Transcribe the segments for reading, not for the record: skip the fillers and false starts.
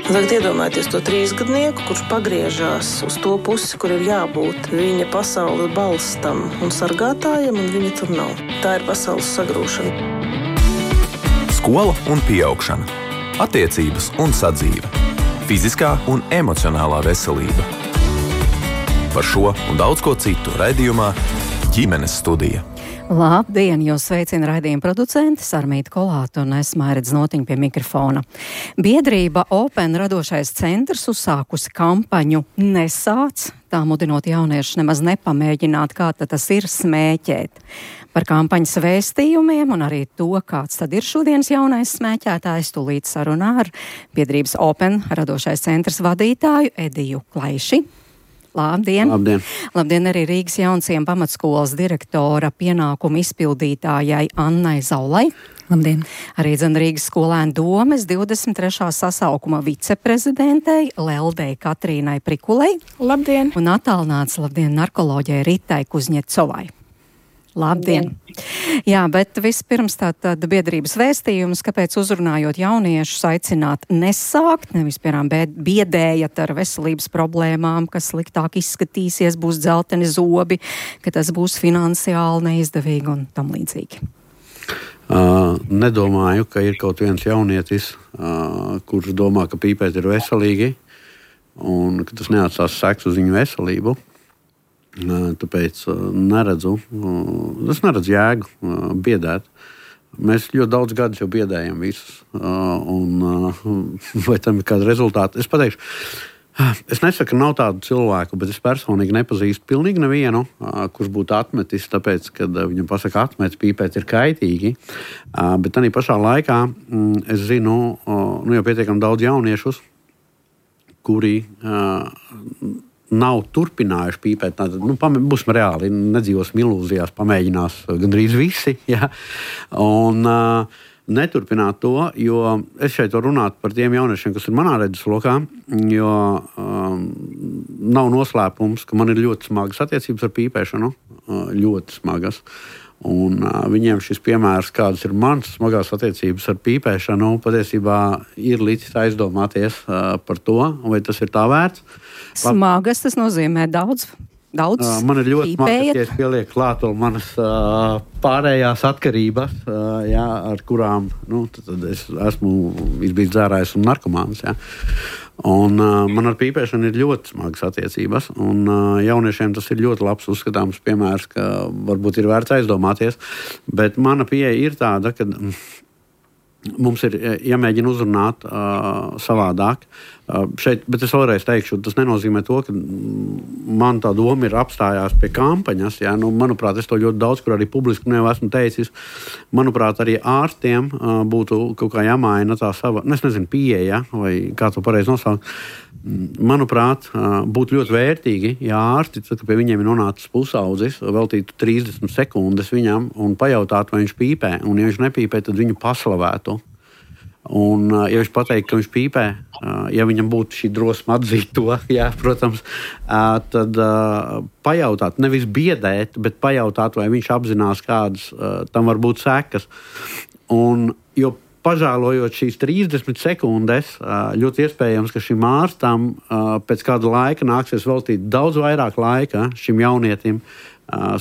Tagad iedomājieties to 3-gadnieku, kurš pagriežās uz to pusi, kur ir jābūt viņa pasaules balstam un sargātājiem, un viņa tur nav. Tā ir pasaules sagrūšana. Skola un pieaugšana. Attiecības un sadzīve. Fiziskā un emocionālā veselība. Par šo un daudz ko citu raidījumā Ģimenes studija. Labdien, jūs sveicina raidījuma producenti Sarmīta Kolāta un es Mairedz Notiņa pie mikrofona. Biedrība Open radošais centrs uzsākusi kampaņu Nesāc, tā mudinot jauniešus nemaz nepamēģināt, kā tas ir smēķēt. Par kampaņas vēstījumiem un arī to, kāds tad ir šodienas jaunais smēķētājs, tūlīt sarunā ar biedrības Open radošais centrs vadītāju Ediju Klaiši. Labdien! Labdien! Labdien arī Rīgas Jaunciem pamatskolas direktora pienākumu izpildītājai Annai Zaulai. Labdien! Arī Rīgas skolēnu domes 23. sasaukuma viceprezidentei Leldei Katrīnai Prikulei. Labdien! Un attālināts narkoloģijai Ritai Kuzņecovai. Labdien! Jā, bet vispirms tātad biedrības vēstījums, kāpēc uzrunājot jauniešus aicināt nesākt, nevis piemēram biedējat ar veselības problēmām, kas sliktāk izskatīsies, būs dzelteni zobi, ka tas būs finansiāli neizdevīgi un tam līdzīgi. Nedomāju, ka ir kaut viens jaunietis, kurš domā, ka pīpēt ir veselīgi un ka tas neatstās seks uz viņu veselību. Tāpēc es neredzu jēgu biedēt. Mēs ļoti daudz gadus jau biedējam visus. Vai tam ir kāda rezultāta? Es pateikšu, es nesaku, ka nav tādu cilvēku, bet es personīgi nepazīstu pilnīgi nevienu, kurš būtu atmetis, tāpēc, kad viņam pasaka atmet, pīpēt ir kaitīgi. Bet tādā pašā laikā es zinu, jau pietiekami daudz jauniešus, kuri nav turpinājuši pīpēt. Būsim reāli, nedzīvosim ilūzijās, pamēģinās gandrīz visi. Ja? Un neturpināt to, jo es šeit varu runāt par tiem jauniešiem, kas ir manā redzeslokā, jo nav noslēpums, ka man ir ļoti smagas attiecības ar pīpēšanu. Ļoti smagas. Un viņiem šis piemērs, kādas ir manas smagās attiecības ar pīpēšanu, patiesībā ir licis aizdomāties par to, vai tas ir tā vērts. Smagas tas nozīmē daudz man ir ļoti smagas, ja es pielieku klāt vēl manas pārējās atkarības, ar kurām tad es esmu izbijis dzērājs un narkomāns. Un man ar pīpēšanu ir ļoti smagas attiecības, un jauniešiem tas ir ļoti labs uzskatāms piemērs, ka varbūt ir vērts aizdomāties, bet mana pieeja ir tāda, ka mums ir jāmēģina uzrunāt savādāk. Šeit, bet es vēlreiz teikšu, tas nenozīmē to, ka man tā doma ir apstājās pie kampaņas. Manuprāt, es to ļoti daudz, kur arī publiski jau esmu teicis. Manuprāt, arī ārstiem būtu kaut kā jāmaina tā sava, pieeja, vai kā to pareizi nosaukt. Manuprāt, būtu ļoti vērtīgi, ja ārsti, tad, kad pie viņiem ir nonācis pusaudzis, veltītu 30 sekundes viņam un pajautātu, vai viņš pīpē. Un, ja viņš nepīpē, tad viņu paslavētu. Un, ja viņš pateikt, ka viņš pīpē, ja viņam būtu šī drosme atzīt to, protams, tad pajautāt, nevis biedēt, bet pajautāt, vai viņš apzinās, kādas tam var būt sekas. Un, jo pažēlojot šīs 30 sekundes, ļoti iespējams, ka šim ārstam pēc kāda laika nāksies veltīt daudz vairāk laika šim jaunietim,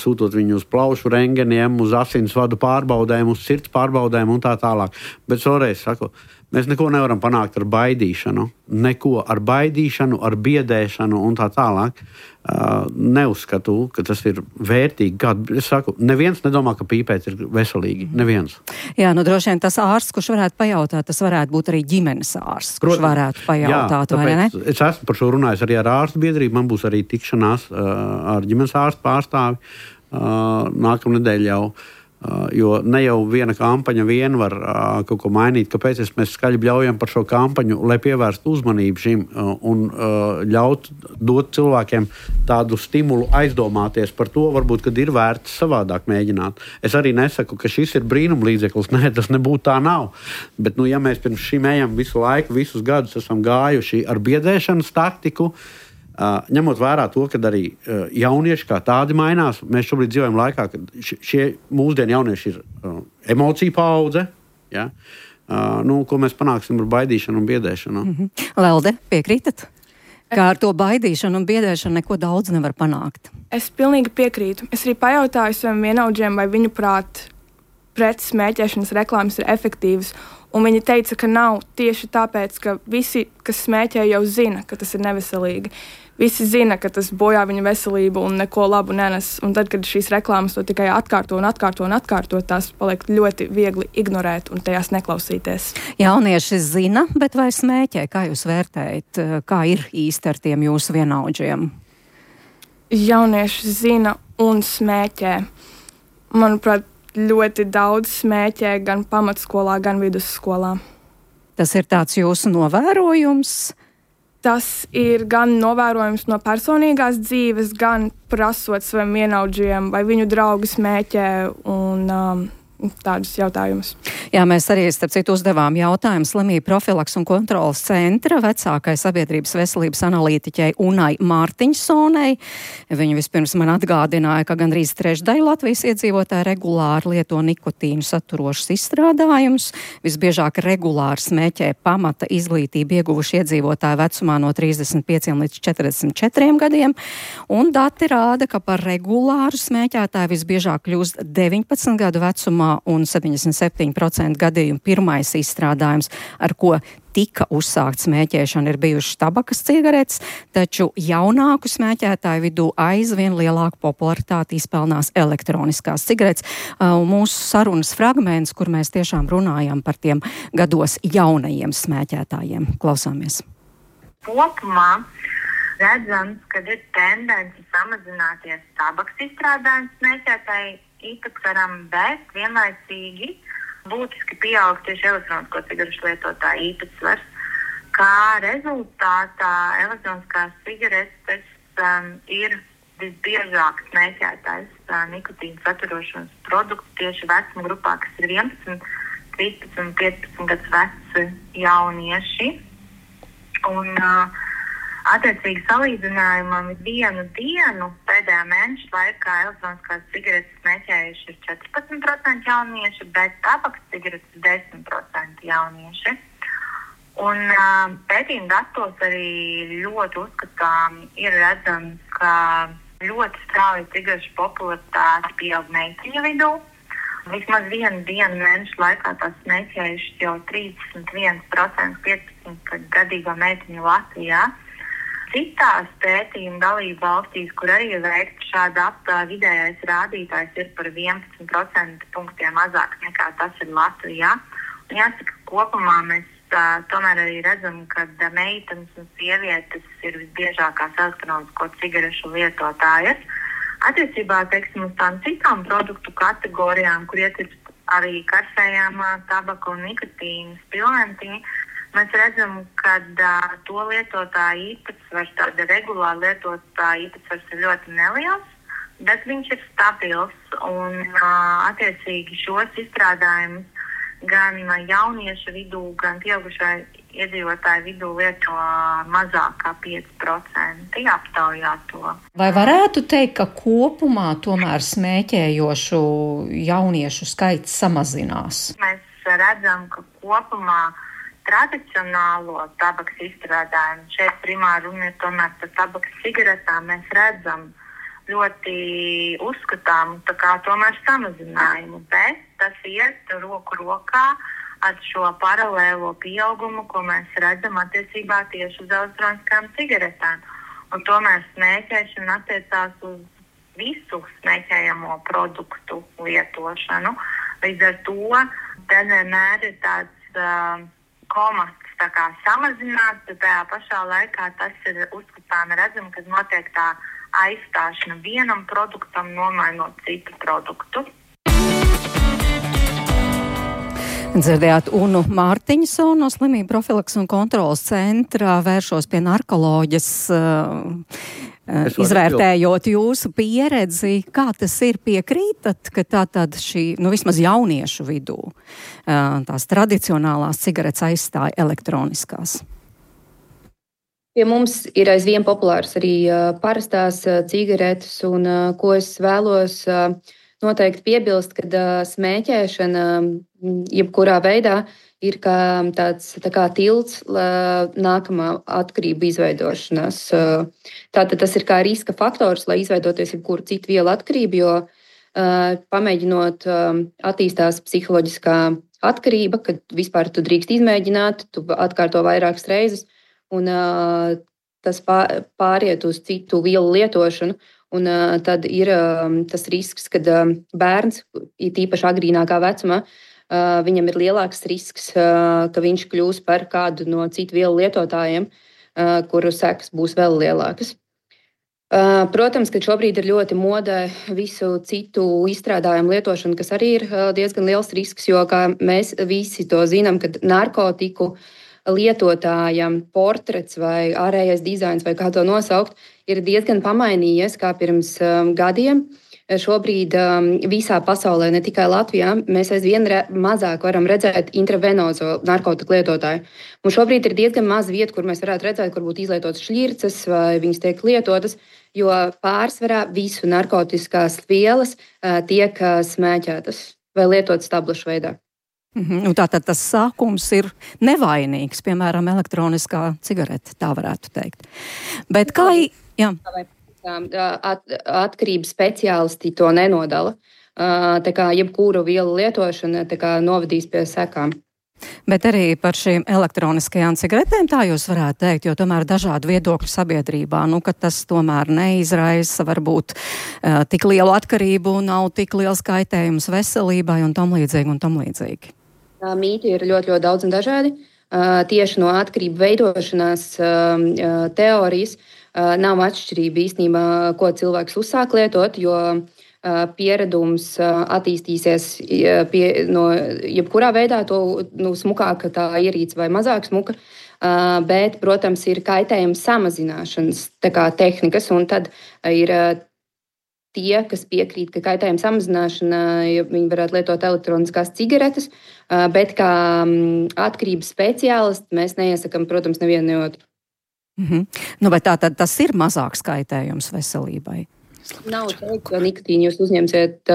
sūtot viņu uz plaušu rengeniem, uz asinsvadu pārbaudēm, uz sirds pārbaudēm un tā tālāk. Bet šoreiz saku, mēs neko nevaram panākt ar baidīšanu. Neko ar baidīšanu, ar biedēšanu un tā tālāk. Neuzskatu, ka tas ir vērtīgi. Es saku, neviens nedomā, ka pīpēt ir veselīgi. Neviens. Jā, droši vien tas ārsts, kurš varētu pajautāt, tas varētu būt arī ģimenes ārsts, kurš varētu pajautāt, vai ne? Es esmu par šo runājis arī ar ārstu biedrību. Man būs arī tikšanās ar ģimenes ārstu pārstāvi nākamnedēļ jau. Jo ne jau viena kampaņa vien var kaut ko mainīt, kāpēc mēs skaļi bļaujam par šo kampaņu, lai pievērstu uzmanību šim un dot cilvēkiem tādu stimulu aizdomāties par to, varbūt, kad ir vērts savādāk mēģināt. Es arī nesaku, ka šis ir brīnumlīdzeklis, tas nebūtu tā nav. Bet, ja mēs pirms šim ejam visu laiku, visus gadus esam gājuši ar biedēšanas taktiku, ņemot vērā to, ka arī jaunieši kā tādi mainās, mēs šobrīd dzīvojam laikā, kad šie mūsdienu jaunieši ir emociju paudze, Ko mēs panāksim ar baidīšanu un biedēšanu. Lelde, piekrītat? Kā ar to baidīšanu un biedēšanu neko daudz nevar panākt. Es pilnīgi piekrītu. Es arī pajautāju saviem vienaudžiem, vai viņu prāt pret smēķēšanas reklāmas ir efektīvas. Un viņi teica, ka nav tieši tāpēc, ka visi, kas smēķē, jau zina, ka tas ir neveselīgi. Visi zina, ka tas bojā viņa veselību un neko labu nenes. Un tad, kad šīs reklāmas to tikai atkārto, tās paliek ļoti viegli ignorēt un tajās neklausīties. Jaunieši zina, bet vai smēķē? Kā jūs vērtējat? Kā ir īsti ar tiem jūsu vienaudžiem? Jaunieši zina un smēķē. Manuprāt, ļoti daudz smēķē gan pamatskolā, gan vidusskolā. Tas ir tāds jūsu novērojums? Tas ir gan novērojums no personīgās dzīves, gan prasot saviem vienaudžiem, vai viņu draugi smēķē un tādus jautājumus. Jā, mēs arī, starp citu, uzdevām jautājumu slimību profilaks un kontrolas centra vecākai sabiedrības veselības analītiķei Unai Mārtiņsonai. Viņa vispirms man atgādināja, ka gandrīz trešdaļa Latvijas iedzīvotāji regulāri lieto nikotīnu saturošus izstrādājumus. Visbiežāk regulāri smēķē pamata izglītību ieguvuši iedzīvotāji vecumā no 35 līdz 44 gadiem. Un dati rāda, ka par regulāru smēķētāju visbiežāk kļūst 19 gadu vecumā un 77% gadījumu pirmais izstrādājums, ar ko tika uzsākt smēķēšana, ir bijušas tabakas cigaretes, taču jaunāku smēķētāju vidū aizvien lielāku popularitāti izpelnās elektroniskās cigaretes. Mūsu sarunas fragments, kur mēs tiešām runājam par tiem gados jaunajiem smēķētājiem. Klausāmies. Kopumā redzams, ka ir tendence samazināties tabakas izstrādājums smēķētāji īpatsvaram, bet vienlaicīgi būtiski pieaug tieši elektronisko cigarešu lietotāju īpatsvars. Kā rezultātā elektroniskās cigaretes ir visbiežāk smēķētais nikotīnu saturošanas produkts tieši vecuma grupā, kas ir 11, 13 un 15 gadus veci jaunieši. Un attiecīgi salīdzinājumam vienu dienu pēdējā mēneša laikā elektroniskās cigaretes smēķējuši ir 14% jaunieši, bet tabakas cigaretes 10% jaunieši. Un pētījuma datos arī ļoti uzskatām ir redzams, ka ļoti strauji cigarešu popularitāte pieaug meiteņu vidū. Vismaz vienu dienu mēneša laikā tās smēķējuši jau 31% 15 gadīgo meiteņu Latvijā. Citās pētījuma dalību valstīs, kur arī ir veikta šāda aptāja, vidējais rādītājs ir par 11% punktiem mazāk nekā tas ir Latvijā. Un jāsaka, kopumā mēs tomēr arī redzam, ka meitenes un sievietes ir visbiežākās elektronisko cigarešu lietotājas. Attiecībā, teiksim, uz tām citām produktu kategorijām, kur ietilpst arī karsējāmā tabaka un nikotīnas pilventiņi, mēs redzam, ka to lietotāju īpatsvars, tāda regulāra lietotāja īpatsvars ir ļoti neliels, bet viņš ir stabils un attiecīgi šos izstrādājumus gan jauniešu vidū, gan pieaugušai iedzīvotāju vidū lieto mazāk kā 5% aptaujā to. Vai varētu teikt, ka kopumā tomēr smēķējošu jauniešu skaits samazinās? Mēs redzam, ka kopumā tradicionālo tabakas izstrādājumu, šeit primāri runa ir tomēr par tabakas cigaretām, mēs redzam ļoti uzskatām tomēr samazinājumu, bet tas iet roku rokā ar šo paralēlo pieaugumu, ko mēs redzam attiecībā tieši uz elektroniskām cigaretēm. Un tomēr smēķēšana attiecās uz visu smēķējamo produktu lietošanu. Līdz ar to te vienmēr ir tāds komats samazināts, bet tajā pašā laikā tas ir uzskatām redzam, kad notiek tā aizstāšana vienam produktam, nomainot citu produktu. Dzirdējāt Unu Mārtiņsonu no slimību profilaks un kontrolas centra, vēršos pie narkoloģas, izvērtējot jūsu pieredzi, kā tas ir, piekrītat, ka tātad šī, vismaz jauniešu vidū, tās tradicionālās cigaretes aizstāja elektroniskās? Pie mums ir aizvien populārs arī parastās cigaretes, un ko es vēlos noteikti piebilst, ka smēķēšana jebkurā veidā ir kā tāds tilts nākamā atkarību izveidošanās. Tātad tas ir kā riska faktors, lai izveidoties jebkuru citu vielu atkarību, jo pamēģinot attīstās psiholoģiskā atkarība, kad vispār tu drīkst izmēģināt, tu atkārto vairākas reizes, un tas pāriet uz citu vielu lietošanu. Un tad ir tas risks, kad bērns, īpaši agrīnākā vecumā, viņam ir lielāks risks, ka viņš kļūs par kādu no citu vielu lietotājiem, kuru sekas būs vēl lielākas. Protams, ka šobrīd ir ļoti modē visu citu izstrādājumu lietošanu, kas arī ir diezgan liels risks, jo, kā mēs visi to zinām, kad narkotiku lietotājam portrets vai ārējais dizains vai kā to nosaukt, ir diezgan pamainījies kā pirms gadiem. Šobrīd visā pasaulē, ne tikai Latvijā, mēs aizvien mazāk varam redzēt intravenozo narkotiku lietotāju. Mums šobrīd ir diezgan maz vietu, kur mēs varētu redzēt, kur būtu izlietotas šļirces vai viņas tiek lietotas, jo pārsvarā visu narkotiskās vielas tiek smēķētas vai lietotas tablešu veidā. Tātad tas sākums ir nevainīgs, piemēram, elektroniskā cigarete, tā varētu teikt. Bet kā... Jā. Atkarības speciālisti to nenodala. Tā kā jebkuru vielu lietošana novadīs pie sekām. Bet arī par šīm elektroniskajām cigaretēm tā jūs varētu teikt, jo tomēr dažādi viedokļi sabiedrībā, ka tas tomēr neizraisa varbūt tik lielu atkarību, nav tik liels kaitējums veselībai un tam līdzīgi. Mīti ir ļoti, ļoti daudz un dažādi. Tieši no atkarību veidošanās teorijas nav atšķirība īstenībā, ko cilvēks uzsāk lietot, jo pieredums attīstīsies no jebkurā veidā, smukāka tā ierīce vai mazāk smuka, bet, protams, ir kaitējuma samazināšanas tehnikas, un tad ir tie, kas piekrīt, ka kaitējuma samazināšana, viņi varētu lietot elektroniskās cigaretes, bet kā atkarības speciālisti mēs neiesakam, protams, nevienu ne otru. Vai tātad tas ir mazāks kaitējums veselībai? Nav teikt, ka nikotīnu jūs uzņemsiet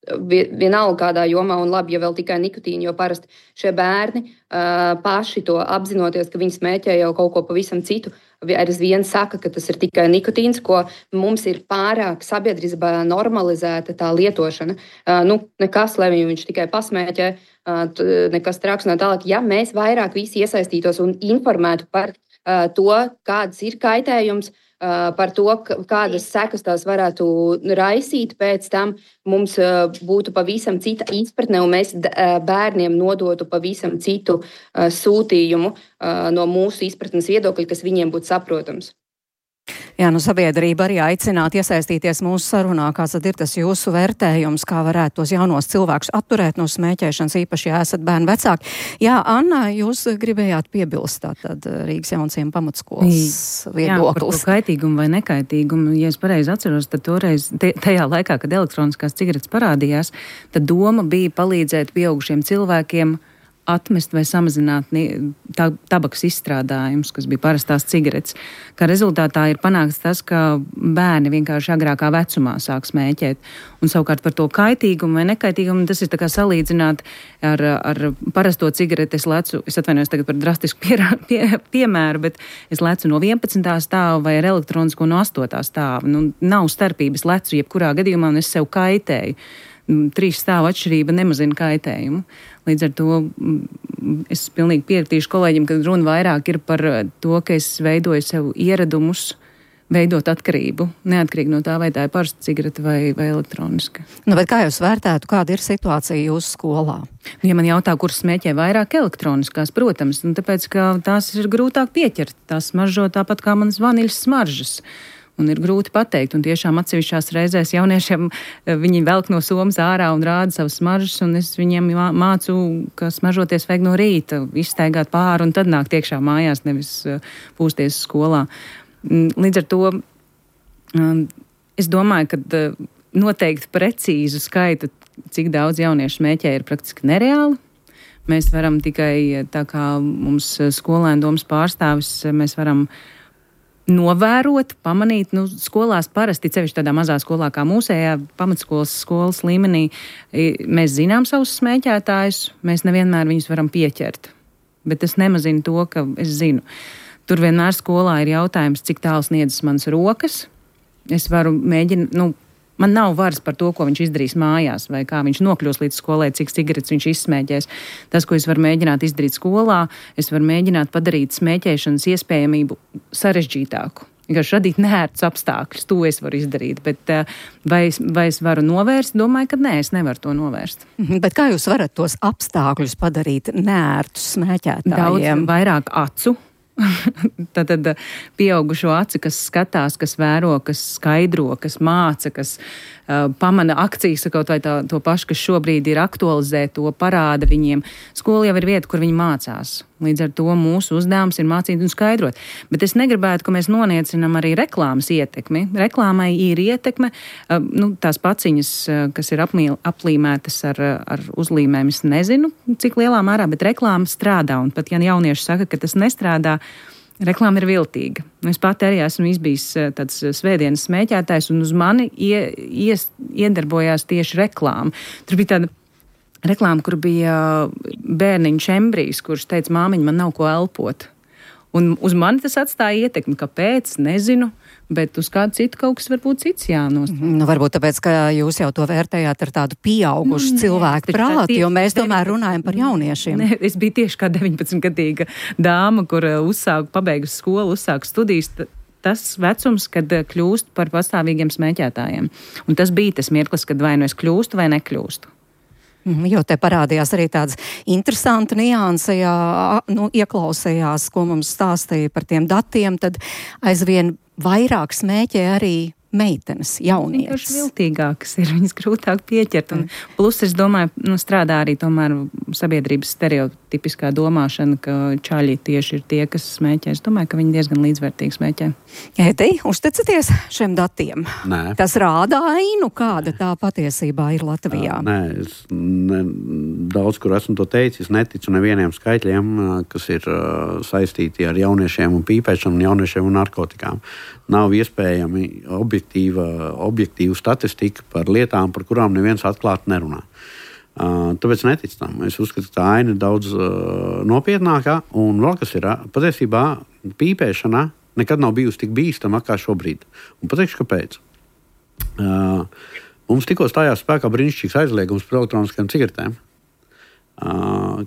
vienalga kādā jomā, un labi, ja vēl tikai nikotīnu, jo parasti šie bērni paši to apzinoties, ka viņi smēķē jau kaut ko pavisam citu, aizvien saka, ka tas ir tikai nikotīns, ko mums ir pārāk sabiedrībā normalizēta tā lietošana. Nekas, lai viņš tikai pasmēķē, nekas traks un tālāk. Ja mēs vairāk visi iesaistītos un informētu par to, kāds ir kaitējums, par to, kādas sekas tās varētu raisīt, pēc tam mums būtu pavisam cita izpratne, un mēs bērniem nodotu pavisam citu sūtījumu no mūsu izpratnes viedokļa, kas viņiem būtu saprotams. Jā, sabiedrība arī aicinātu iesaistīties mūsu sarunā. Kāds tad ir tas jūsu vērtējums, kā varētu tos jaunos cilvēkus atturēt no smēķēšanas, īpaši, ja esat bērnu vecāki? Jā, Anna, jūs gribējāt piebilst tātad Rīgas Jaunciem pamatskolas viedoklis. Jā, par to kaitīgumu vai nekaitīgumu. Ja es pareizi atceros, tad toreiz, tajā laikā, kad elektroniskās cigaretes parādījās, tad doma bija palīdzēt pieaugušiem cilvēkiem atmest vai samazināt tabakas izstrādājumus, kas bija parastās cigaretes. Kā rezultātā ir panākts tas, ka bērni vienkārši agrākā vecumā sāk smēķēt. Un savukārt par to kaitīgumu vai nekaitīgumu, tas ir tā kā salīdzināt ar parasto cigareti. Es atvainojos tagad par drastisku piemēru, bet es lecu no 11. stāva vai ar elektronisko no 8. stāva. Nav starpības lecu jebkurā gadījumā, un es sev kaitēju. 3 stāvu atšķirība nemazina kaitējumu. Līdz ar to es pilnīgi piekritīšu kolēģim, ka runa vairāk ir par to, ka es veidoju sev ieradumus, veidot atkarību, neatkarīgi no tā, vai tā ir parasta cigarete vai elektroniska. Bet kā jūs vērtētu, kāda ir situācija jūsu skolā? Ja man jautā, kuras smēķē vairāk elektroniskās, protams, tāpēc, ka tās ir grūtāk pieķert. Tās smaržo tāpat kā manas vaniļas smaržas. Un ir grūti pateikt, un tiešām atsevišķās reizēs jauniešiem viņi velk no somas ārā un rāda savas smaržas, un es viņiem mācu, ka smaržoties vajag no rīta, izstaigāt pāri un tad nākt iekšā mājās, nevis pūsties skolā. Līdz ar to es domāju, ka noteikti precīzu skaitu, cik daudz jauniešu smēķē, ir praktiski nereāli. Mēs varam tikai, tā kā mums skolēnu domas pārstāvis, mēs varam novērot, pamanīt, skolās parasti, cevišķi tādā mazā skolā kā mūsējā, skolas līmenī, mēs zinām savus smēķētājus, mēs nevienmēr viņus varam pieķert. Bet tas nemazina to, ka es zinu. Tur vienmēr skolā ir jautājums, cik tālu sniedzas manas rokas. Es varu mēģināt, man nav varas par to, ko viņš izdarīs mājās, vai kā viņš nokļūs līdz skolai, cik cigaretes viņš izsmēķēs. Tas, ko es varu mēģināt izdarīt skolā, es varu mēģināt padarīt smēķēšanas iespējamību sarežģītāku. Vienkārši radīt neērtus apstākļus, to es varu izdarīt, bet vai es varu novērst? Domāju, ka nē, es nevaru to novērst. Bet kā jūs varat tos apstākļus padarīt neērtus smēķētājiem? Daudz vairāk acu. Tad pieaugušo aci, kas skatās, kas vēro, kas skaidro, kas māca, kas pamana akcijas, kaut vai to pašu, kas šobrīd ir aktualizē, to parāda viņiem. Skola jau ir vieta, kur viņi mācās. Līdz ar to mūsu uzdevums ir mācīt un skaidrot. Bet es negribētu, ka mēs noniecinam arī reklāmas ietekmi. Reklāmai ir ietekme, tās paciņas, kas ir aplīmētas ar uzlīmēm, es nezinu, cik lielā mērā, bet reklāma strādā. Un pat ja jaunieši saka, ka tas nestrādā, reklāma ir viltīga. Es pati arī esmu izbijis tāds svētdienas smēķētājs, un uz mani iedarbojās tieši reklāma. Tur bija tāda reklāma, kur bija bērniņš embrijs, kurš teica, māmiņa, man nav ko elpot. Un uz mani tas atstāja ietekmi, kāpēc, nezinu, bet uz kādu citu kaut kas varbūt cits jānostāv. Varbūt tāpēc, ka jūs jau to vērtējāt ar tādu pieaugušu cilvēku prātu, jo mēs tomēr runājam par jauniešiem. Ne, es biju tieši kā 19-gadīga dāma, kur pabeigusi skolu, uzsāku studijas. Tas vecums, kad kļūst par pastāvīgiem smēķētājiem. Un tas bija tas mirklis, kad vai nu es kļūstu vai nekļūstu. Jo te parādījās arī tāds interesanta nianse, ieklausējās, ko mums stāstīja par tiem datiem, tad aizvien vairāk smēķē arī meitenes, jaunietes. Vienkārši viltīgākas ir, viņas grūtāk pieķert. Un plus, es domāju, strādā arī tomēr sabiedrības stereotipiskā domāšana, ka čaļi tieši ir tie, kas smēķē. Es domāju, ka viņi diezgan līdzvērtīgi smēķē. Ētī, uzticaties šiem datiem? Nē. Tas rāda ainu, kāda tā patiesībā ir Latvijā. Nē, es daudz, kur esmu to teicis, neticu nevieniem skaitļiem, kas ir saistīti ar jauniešiem un pīpēšanu, jauniešiem un narkotikām. Nav iespējami objektīva statistika par lietām, par kurām neviens atklāti nerunā. Tāpēc neticu tam. Es uzskatu, ka tā aina ir daudz nopietnākā. Un vēl kas ir, patiesībā pīpēšana nekad nav bijusi tik bīstama kā šobrīd. Un pateikšu, kāpēc. Mums tikko stājās spēkā brīnišķīgs aizliegums par elektroniskajām cigaretēm.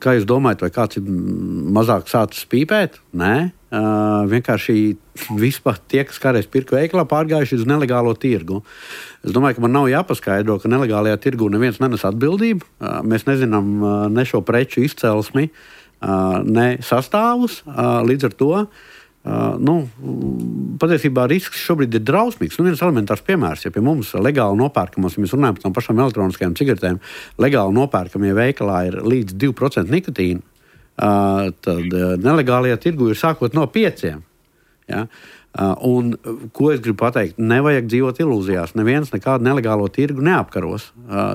Kā jūs domājat, vai kāds ir mazāk sācis pīpēt? Nē. Vienkārši vispār tie, kas kādreiz pirka veikalā, pārgājuši uz nelegālo tirgu. Es domāju, ka man nav jāpaskaidro, ka nelegālajā tirgu neviens nenes atbildību. Mēs nezinām ne šo preču izcelsmi, ne sastāvus. Līdz ar to patiesībā risks šobrīd ir drausmīgs. Viens elementārs piemērs, ja pie mums legāli nopērkamos, ja mēs runājam par tām pašām elektroniskajām cigaretēm, legāli nopērkamie veikalā ir līdz 2% nikotīna, tad nelegālajā tirgu ir sākot no 5. Ja? Un, ko es gribu pateikt, nevajag dzīvot ilūzijās. Neviens nekādu nelegālo tirgu neapkaros.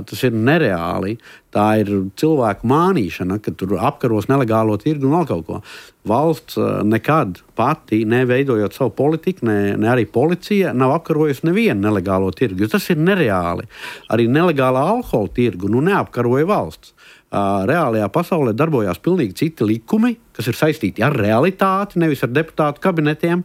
Tas ir nereāli. Tā ir cilvēku mānīšana, ka tur apkaros nelegālo tirgu un vēl kaut ko. Valsts nekad pati, neveidojot savu politiku, ne arī policija, nav apkarojusi nevienu nelegālo tirgu. Tas ir nereāli. Arī nelegālā alkohola tirgu neapkaroja valsts. Reālajā pasaulē darbojās pilnīgi citi likumi, kas ir saistīti ar realitāti, nevis ar deputātu kabinetiem.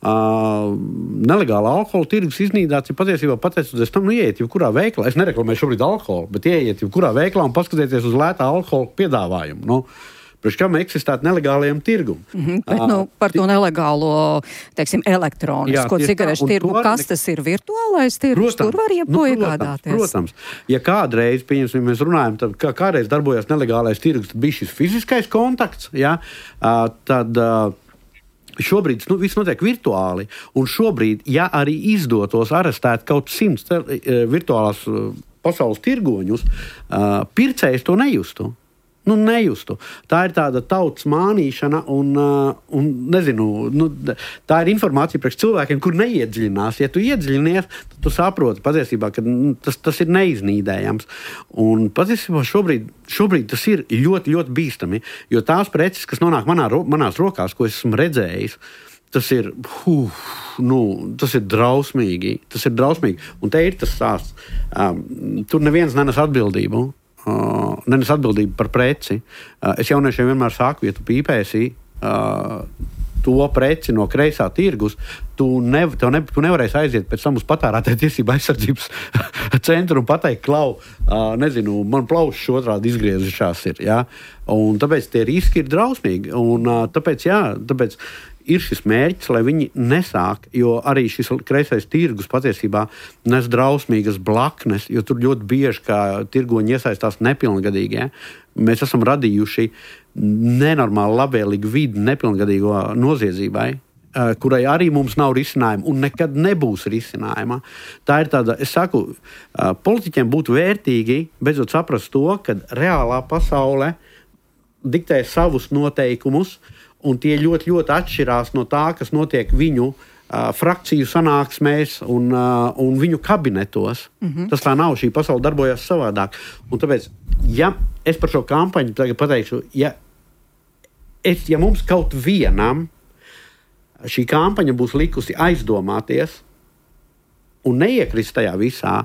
Nelegāla alkohola tirgus iznīdāts ir patiesībā pateicoties tam, ieiet jebkurā veikalā. Es nereklamēju šobrīd alkoholu, bet ieiet jebkurā veikalā un paskatieties uz lētā alkohola piedāvājumu. Priekš kam eksistētu nelegālajiem tirgum. Bet par to nelegālo, teiksim, elektronisko cigarešu tirgu, kas tas ir virtuālais tirgus, tur var iegādāties. Protams, ja kādreiz, pieņemsim, mēs runājam, tad kādreiz darbojās nelegālais tirgus, tad bija šis fiziskais kontakts, ja, tad šobrīd viss notiek virtuāli, un šobrīd, ja arī izdotos arestēt kaut 100 virtuālās pasaules tirgoņus, pircējs to nejustu. Nejustu. Tā ir tāda tautas mānīšana un nezinu, tā ir informācija priekš cilvēkiem, kur neiedziļinās. Ja tu iedziļinies, tad tu saproti patiesībā, ka tas ir neiznīdējams. Un patiesībā šobrīd tas ir ļoti, ļoti bīstami, jo tās preces, kas nonāk manās rokās, ko es esmu redzējis, tas ir drausmīgi. Tas ir drausmīgi. Un te ir tas stāsts. Tur neviens nenes atbildību. Nenes atbildību par preci. Es jauniešiem vienmēr saku, ja tu pīpēsi to preci no kreisā tirgus, tu nevarēsi aiziet pēc tam uz patērētāju tiesību aizsardzības centru un pateikt, klau, nezinu, man plaušas otrādi izgriezušās ir. Ja? Un tāpēc tie riski ir drausmīgi. Un tāpēc ir šis mērķis, lai viņi nesāk, jo arī šis kreisais tirgus patiesībā nes drausmīgas blaknes, jo tur ļoti bieži, kā tirgoņi iesaistās nepilngadīgi. Ja? Mēs esam radījuši nenormāli labvēlīgu vidi nepilngadīgo noziedzībai, kurai arī mums nav risinājuma un nekad nebūs risinājuma. Tā ir tāda, es saku, politiķiem būtu vērtīgi beidzot saprast to, ka reālā pasaule diktē savus noteikumus, un tie ļoti, ļoti atšķirās no tā, kas notiek viņu frakciju sanāksmēs un viņu kabinetos. Tas tā nav, šī pasaule darbojas savādāk. Un tāpēc, ja es par šo kampaņu tagad pateikšu, ja mums kaut vienam šī kampaņa būs likusi aizdomāties un neiekrist tajā visā,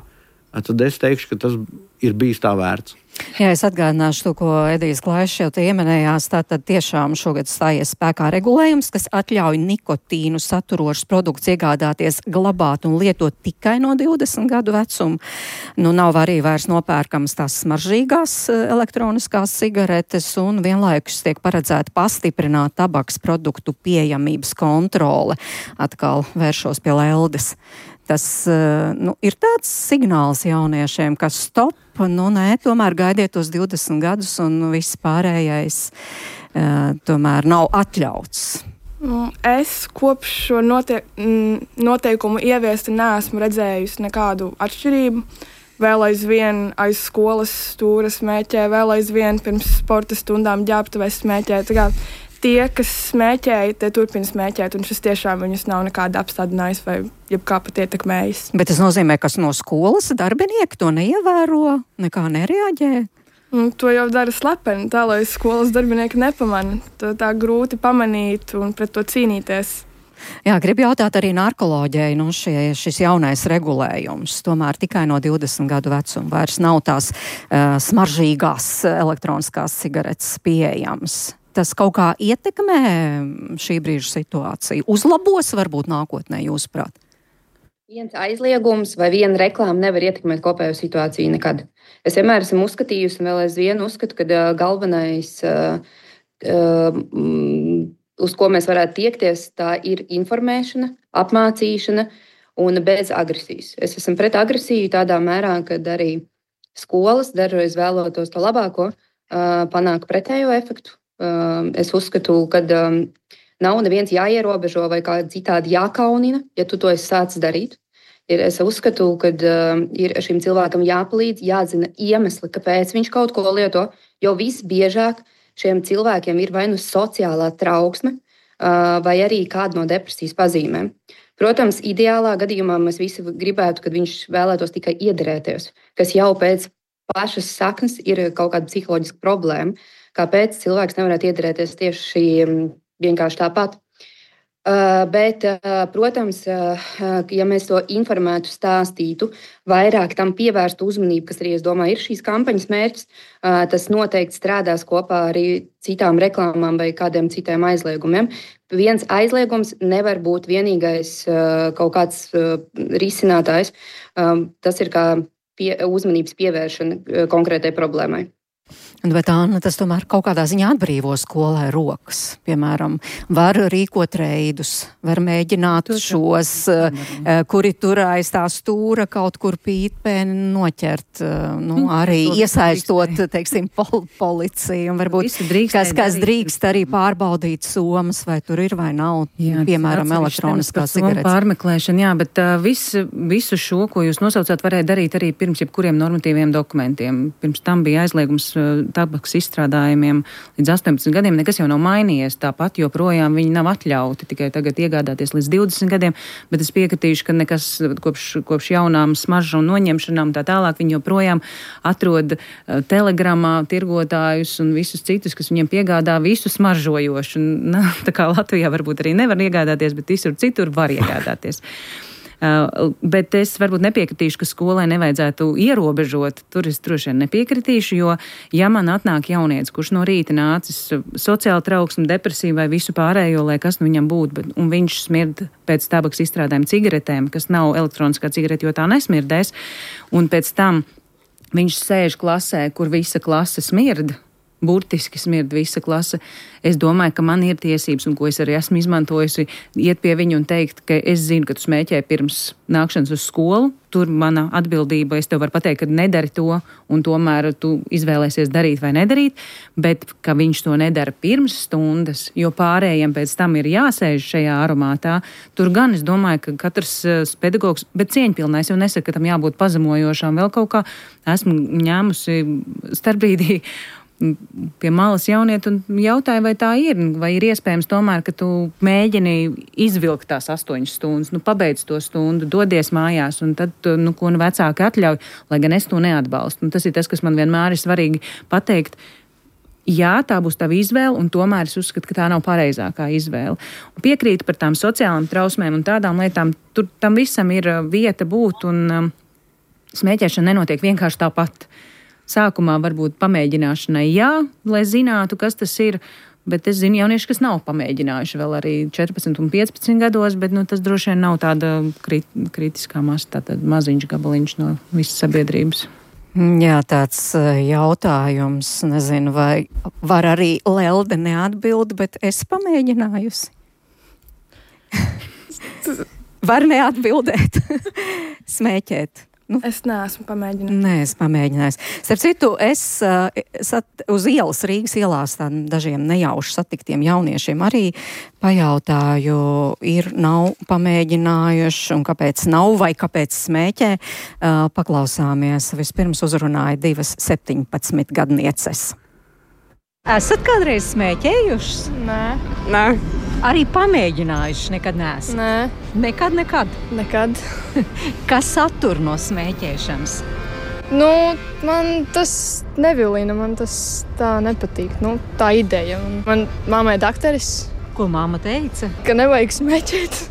tad es teikšu, ka tas ir bijis tā vērts. Jā, es atgādināšu to, ko Edijs Klaišs jau ieminējās. Tātad tiešām šogad stājies spēkā regulējums, kas atļauj nikotīnu saturošus produktus iegādāties, glabāt un lietot tikai no 20 gadu vecuma. Nav arī vairs nopērkams tās smaržīgās elektroniskās cigaretes un vienlaikus tiek paredzēta pastiprināt tabaks produktu pieejamības kontrole. Atkal vēršos pie Leldes. Tas ir tāds signāls jauniešiem, ka stop, tomēr gaidiet tos 20 gadus un viss pārējais tomēr nav atļauts. Es kopš šo noteikumu ieviesti neesmu redzējusi nekādu atšķirību. Vēl aizvien aiz skolas stūra smēķē, vēl aizvien pirms sporta stundām ģērbtuvē smēķē. Tie, kas smēķēja, tie turpina smēķēt, un šis tiešām viņus nav nekāda apstādinājis vai jebkā pat ietekmējis. Bet tas nozīmē, ka no skolas darbinieki to neievēro, nekā nereaģē? To jau dara slepeni, tā lai skolas darbinieki nepamana. Tā grūti pamanīt un pret to cīnīties. Jā, gribu jautāt arī narkoloģijai, šis jaunais regulējums, tomēr tikai no 20 gadu vecuma vairs nav tās smaržīgās elektroniskās cigaretes pieejamas. Tas kaut kā ietekmē šī brīža situāciju? Uzlabos varbūt nākotnē, jūsuprāt? Viens aizliegums vai viena reklāma nevar ietekmēt kopējo situāciju nekad. Es vienmēr esmu uzskatījusi un vēl aizvien uzskatu, ka galvenais, uz ko mēs varētu tiekties, tā ir informēšana, apmācīšana un bez agresijas. Es esmu pret agresiju tādā mērā, ka arī skolas dažreiz vēlotos to labāko, panāk pretējo efektu. Es uzskatu, ka nav neviens jāierobežo vai kā citādi jākaunina, ja tu to esi sācis darīt. Es uzskatu, ka ir šim cilvēkam jāpalīdz, jāzina iemesli, kāpēc viņš kaut ko lieto, jo visbiežāk šiem cilvēkiem ir vai nu sociālā trauksme, vai arī kāda no depresijas pazīmēm. Protams, ideālā gadījumā mēs visi gribētu, kad viņš vēlētos tikai iederēties, kas jau pēc pašas saknes ir kaut kāda psiholoģiska problēma. Kāpēc cilvēks nevarētu iederēties tieši vienkārši tāpat. Bet, protams, ja mēs to informētu, stāstītu, vairāk tam pievērstu uzmanību, kas arī, es domāju, ir šīs kampaņas mērķis, tas noteikti strādās kopā arī citām reklāmām vai kādiem citiem aizliegumiem. Viens aizliegums nevar būt vienīgais kaut kāds risinātājs. Tas ir kā uzmanības pievēršana konkrētai problēmai. Bet Anna, tas tomēr kaut kādā ziņā atbrīvo skolai rokas. Piemēram, var rīkot reidus, var mēģināt šos, kuri tur aiz tā stūra kaut kur pīpēni noķert, arī iesaistot, teiksim, policiju. Un varbūt kas drīkst arī pārbaudīt somas, vai tur ir vai nav, piemēram, elektroniskā cigaretes. Pārmeklēšana, jā, bet visu šo, ko jūs nosaucāt, varēja darīt arī pirms jebkuriem normatīviem dokumentiem. Pirms tam bija aizliegums tabaks izstrādājumiem līdz 18 gadiem, nekas jau nav mainījies. Tāpat joprojām viņi nav atļauti tikai tagad iegādāties līdz 20 gadiem, bet es piekritīšu, ka nekas kopš jaunām smaržu un noņemšanām tā tālāk viņi joprojām atrod telegramā tirgotājus un visus citus, kas viņiem piegādā visu smaržojošu. Tā kā Latvijā varbūt arī nevar iegādāties, bet visur citur var iegādāties. Bet es varbūt nepiekritīšu, ka skolai nevajadzētu ierobežot. Tur es droši vien nepiekritīšu, jo ja man atnāk jaunietis, kurš no rīta nācis sociāli trauksmi, depresiju vai visu pārējo, lai kas nu viņam būtu, un viņš smird pēc tabaks izstrādājuma cigaretēm, kas nav elektroniskā cigarete, jo tā nesmirdēs, un pēc tam viņš sēž klasē, kur visa klase smird, burtiski smird visa klase. Es domāju, ka man ir tiesības, un ko es arī esmu izmantojusi, iet pie viņu un teikt, ka es zinu, ka tu smēķē pirms nākšanas uz skolu. Tur mana atbildība, es tev varu pateikt, ka nedari to, un tomēr tu izvēlēsies darīt vai nedarīt, bet ka viņš to nedara pirms stundas, jo pārējiem pēc tam ir jāsēž šajā aromātā. Tur gan es domāju, ka katrs pedagogs, bet cieņpilnais, jau nesaka, ka tam jābūt pazemojošām, vēl kaut kā esmu ņēmusi starpbrīdī pie malas jaunieti un jautāju, vai tā ir, vai ir iespējams tomēr, ka tu mēģini izvilkt tās 8 stundas, pabeidz to stundu, dodies mājās, un tad, ko vecāki atļauj, lai gan es to neatbalstu. Un tas ir tas, kas man vienmēr ir svarīgi pateikt. Jā, tā būs tava izvēle, un tomēr es uzskatu, ka tā nav pareizākā izvēle. Un piekrītu par tām sociālām trausmēm un tādām lietām, tur tam visam ir vieta būt, un smēķēšana nenotiek vienkārši tāpat. Sākumā varbūt pamēģināšanai jā, lai zinātu, kas tas ir, bet es zinu jaunieši, kas nav pamēģinājuši vēl arī 14 un 15 gados, bet tas droši vien nav tāda kritiskā masa, tātad maziņš gabaliņš no visas sabiedrības. Jā, tāds jautājums, nezinu, vai var arī Lelde neatbild, bet es pamēģinājusi. Var neatbildēt, smēķēt. Es neesmu pamēģinājis. Nē, es pamēģināju. Starp citu, es uz ielas, Rīgas ielās dažiem nejauši satiktiem jauniešiem arī pajautāju, nav pamēģinājuši un kāpēc nav vai kāpēc smēķē. Paklausāmies. Vispirms uzrunāja 2 17-gadnieces. Esat kādreiz smēķējušas? Nē. Arī pamēģinājuši nekad neesat? Nē. Nekad? Kas satur no smēķēšanas? Man tas nevilina, man tas tā nepatīk. Tā ideja. Man mammai dakteris. Ko mamma teica? Ka nevajag smēķēt.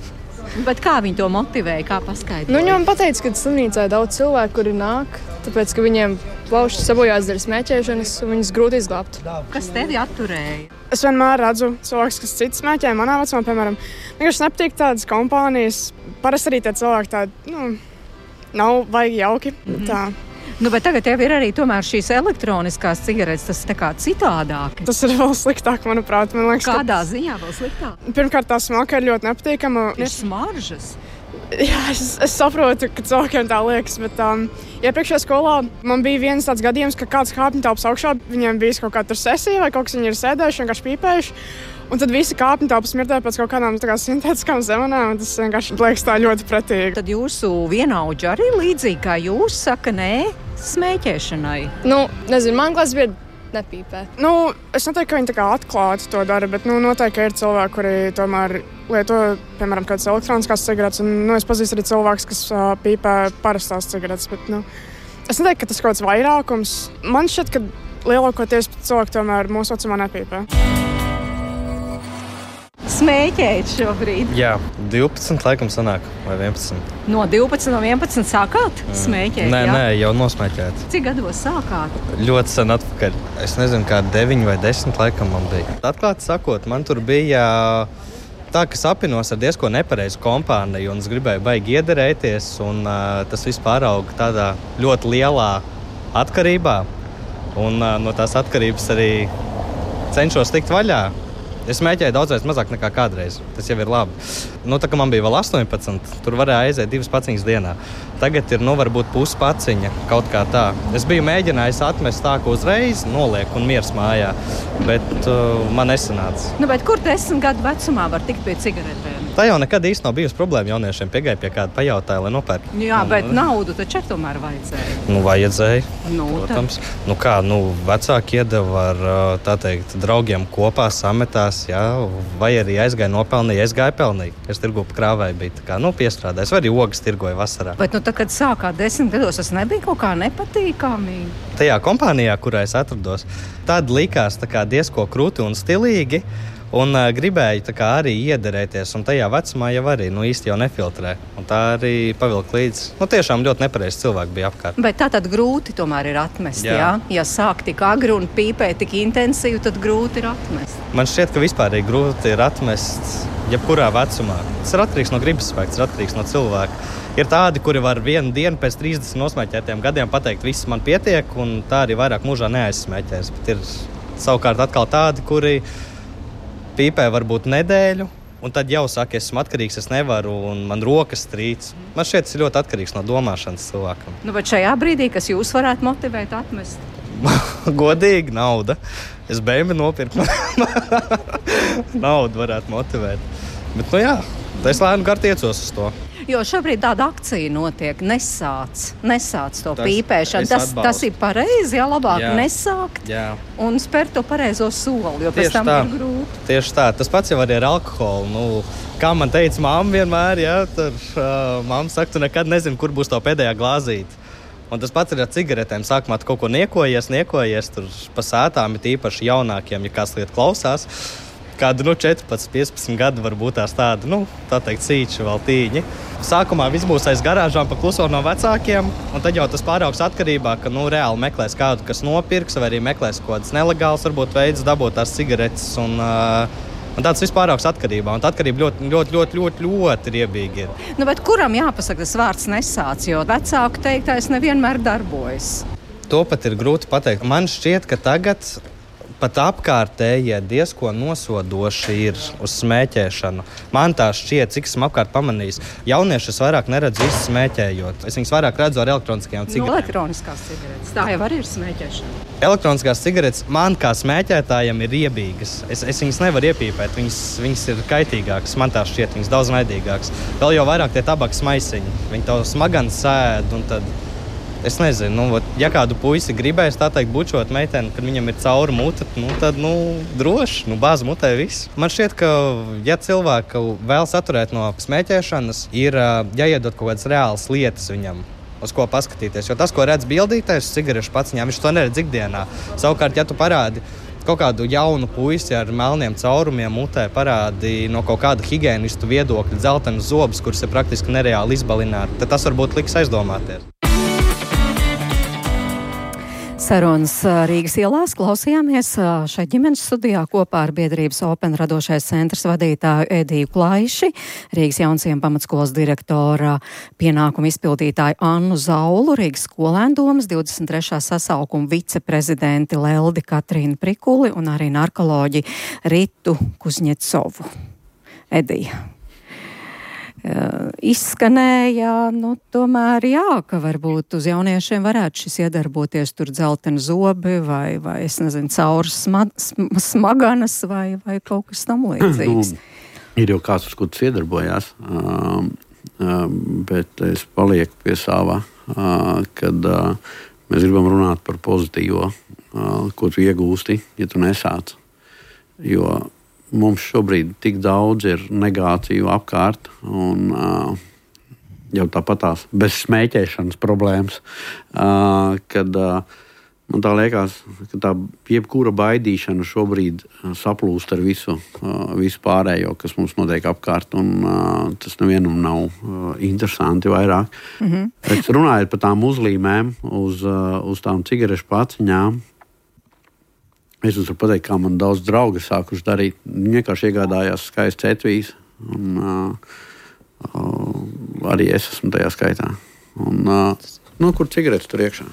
Bet kā viņi to motivēja, kā paskaidroja? Viņa man pateica, ka slimnīcā ir daudz cilvēku, kuri nāk, tāpēc, ka viņiem plaušas sabojās dēļ smēķēšanas, un viņas grūti izglābt. Kas tevi atturēja? Es vienmēr redzu cilvēkus, kas cits smēķē, manā vecumā, piemēram. Vienkārši nepatīk tādas kompānijas. Parasti arī tie cilvēki tādi, nav vajag jauki. Tā. Bet tagad jau ir arī tomēr šīs elektroniskās cigaretes, tas tā kā citādāk. Tas ir vēl sliktāk, manuprāt. Man liekas, kādā ziņā vēl sliktāk? Pirmkārt, tā smalka ir ļoti nepatīkama. Ir smaržas. Jā, es saprotu, ka cilvēkiem tā liekas, bet iepriekšējā skolā man bija viens tāds gadījums, ka kāds kāpņu telpas augšā, viņiem bija kaut kāda sesija vai kaut kas, viņi ir sēdējuši, vienkārši pīpējuši. Un tad visi kāpņu telpas smirdēja pēc kaut kādām sintētiskām zemenēm, un tas vienkārši liekas tā ļoti pretīgi. Tad jūsu vienaudži arī līdzīgi kā jūs saka nē smēķēšanai? Nezinu, man klases biedri nepīpē. Es neteiktu, ka viņi tā kā atklāti to dara, bet noteikti, ka ir cilvēki, kuri tomēr lieto, piemēram, kādas elektroniskās cigaretes, un es pazīstu arī cilvēkus, kas pīpē parastās cigaretes, bet es neteiktu, ka tas kaut kāds vairākums. Man šķiet, ka lielākoties cilvēki tomēr mūsu vecumā nepīpē. Smēķēt šobrīd? Jā, 12 laikam sanāk, vai 11. No 12 no 11 sākāt smēķēt? Nē, jau nosmēķēt. Cik gados sākāt? Ļoti sen atpakaļ. Es nezinu, kā 9 vai 10 laikam man bija. Atklāti sakot, man tur bija tā, ka sapinos ar diezko nepareizu kompāniju, un es gribēju baigi iederēties, un tas viss pārauga tādā ļoti lielā atkarībā, un no tās atkarības arī cenšos tikt vaļā. Es smēķēju daudzreiz mazāk nekā kādreiz. Tas jau ir labi. Tā kā man bija vēl 18, tur varēja aiziet 2 paciņas dienā. Tagad ir, varbūt puspaciņa, kaut kā tā. Es biju mēģinājis atmest tā, ka uzreiz noliek un miers mājā, bet man nesanāca. Bet kur 10 gadu vecumā var tikt pie cigaretēm? Tā jau nekad īsti nav bijusi problēma jauniešiem. Piegāja pie kāda pajautāja, lai nopērk. Jā, bet naudu taču tomēr vajadzēja. Vajadzēja, protams. Vecāki iedeva ar, tā teikt, draugiem kopā sametās, jā, vai arī aizgāja nopelnīja, aizgāja pelnīja. Es tirgu pa krāvēju bija tā kā, piestrādājis, vai arī ogas tirgoja vasarā. Bet, tad, kad sākāt 10 gados, tas nebija kaut kā nepatīkami? Tajā kompānijā, kurā es atrados, tad likās tā kā diezko krūti un stilīgi. Un gribēju arī iederēties, un tajā vecumā jau arī īsti jau nefiltrē. Un tā arī pavilka līdzi. Tiešām ļoti nepareizi cilvēki bija apkārt. Bet tā tad grūti tomēr ir atmest, jā? Ja sāk tik agri un pīpē tik intensīvi, tad grūti ir atmest. Man šķiet, ka vispār grūti ir atmest jebkurā vecumā. Tas ir atkarīgs no gribas spēka, tas ir atkarīgs no cilvēka. Ir tādi, kuri var vienu dienu pēc 30 nosmēķētiem gadiem pateikt, viss man pietiek, un tā arī vairāk mūžā neaizsmēķēs. Bet ir savukārt atkal tādi, kuri pīpē varbūt nedēļu, un tad jau saka, esmu atkarīgs, es nevaru, un man rokas trīc. Man šķiet, tas ir ļoti atkarīgs no domāšanas cilvēkam. Bet šajā brīdī, kas jūs varētu motivēt atmest? Godīgi, nauda. Es bēmi nopirku. Naudu varētu motivēt. Bet, es lēnu gar tiecos uz to. Jo šobrīd tāda akcija notiek, nesāc to pīpēšanu. Tas ir pareizi, labāk nesākt un spērt to pareizo soli, jo pēc tam ir grūti. Tieši tā, tas pats jau arī ar alkoholu. Kā man teica mamma vienmēr, mamma saka, tu nekad nezini, kur būs to pēdējā glāzīte. Un tas pats ir ar cigaretēm. Sākumā tu kaut ko niekojies tur pa sētām, ir īpaši jaunākiem, ja kāds liet klausās. Kādu 14, 15 gadu varbūt tās tāda, tā teikt, sīči vēl tīņi. Sākumā viss būs aiz garāžām pa kluso no vecākiem, un tad jau tas pāraugs atkarībā, ka reāli meklēs kādu, kas nopirks, vai arī meklēs kaut kādas nelegāls, varbūt veids dabūt tās cigaretes, un tāds viss pāraugs atkarībā, un tā atkarība ļoti riebīgi ir. Bet kuram jāpasaka tas vārds nesāc, jo vecāku teiktais nevienmēr darbojas? To pat ir grūti pateikt. Man šķiet, ka tagad pat apkārtējie diezko nosodoši ir uz smēķēšanu. Man tā šķiet, cik esmu apkārt pamanījis. Jauniešus vairāk neredzu īsti smēķējot. Es viņus vairāk redzu ar elektroniskajām cigaretēm. Elektroniskās cigaretes. Tā jau arī ir smēķēšana. Elektroniskās cigaretes man kā smēķētājiem ir riebīgas. Es viņas nevaru iepīpēt. Viņas ir kaitīgākas. Man tā šķiet, viņas daudz naidīgākas. Vēl jau vairāk tie tabaks maisiņi. Viņi to smagani sēd un tad... Es nezinu, ja kādu puisi gribēs tā teikt bučot meiteni, kad viņam ir cauri mute, tad droši, bāz mutē viss. Man šķiet, ka, ja cilvēku vēl saturēt no smēķēšanas, ir jāiedod kaut kādas reālas lietas viņam, uz ko paskatīties. Jo tas, ko redz bildītājs cigarešu paciņā, viņš to neredz ikdienā. Savukārt, ja tu parādi kaut kādu jaunu puisi ar melniem caurumiem mutē, parādi no kaut kāda higiēnistu viedokļa dzeltenas zobus, kuras ir praktiski nereāli izbalināt, tad tas varbūt liks aizdomāties. Sarunas Rīgas ielās klausījāmies šeit ģimenes studijā kopā ar biedrības Open radošais centrs vadītāju Ediju Klaiši, Rīgas Jaunciem pamatskolas direktora pienākumu izpildītāju Annu Zaulu, Rīgas skolēndomas 23. sasaukuma viceprezidenti Leldi Katrīnu Prikuli un arī narkoloģi Ritu Kuzņecovu. Edija. Izskanēja, tomēr ka varbūt uz jauniešiem varētu šis iedarboties tur dzelteni zobi vai es nezinu, cauras smaganas vai kaut kas tam līdzīgs. Ir jau kāds, uz ko tas iedarbojās, bet es palieku pie savā, kad mēs gribam runāt par pozitīvo, ko tu iegūsti, ja tu nesāc. Jo mums šobrīd tik daudz ir negāciju apkārt, un jau tāpat tās bez smēķēšanas problēmas, kad man tā liekas, ka tā jebkura baidīšana šobrīd saplūst ar visu pārējo, kas mums notiek apkārt, un tas nevienam nav interesanti vairāk. Bet runājot par tām uzlīmēm, uz tām cigarešu paciņām, es jums varu pateikt, kā man daudz draugi sākuši darīt. Viņi vienkārši iegādājās skaistas etvijas, un arī es esmu tajā skaitā. Un, kur cigaretes tur iekšā?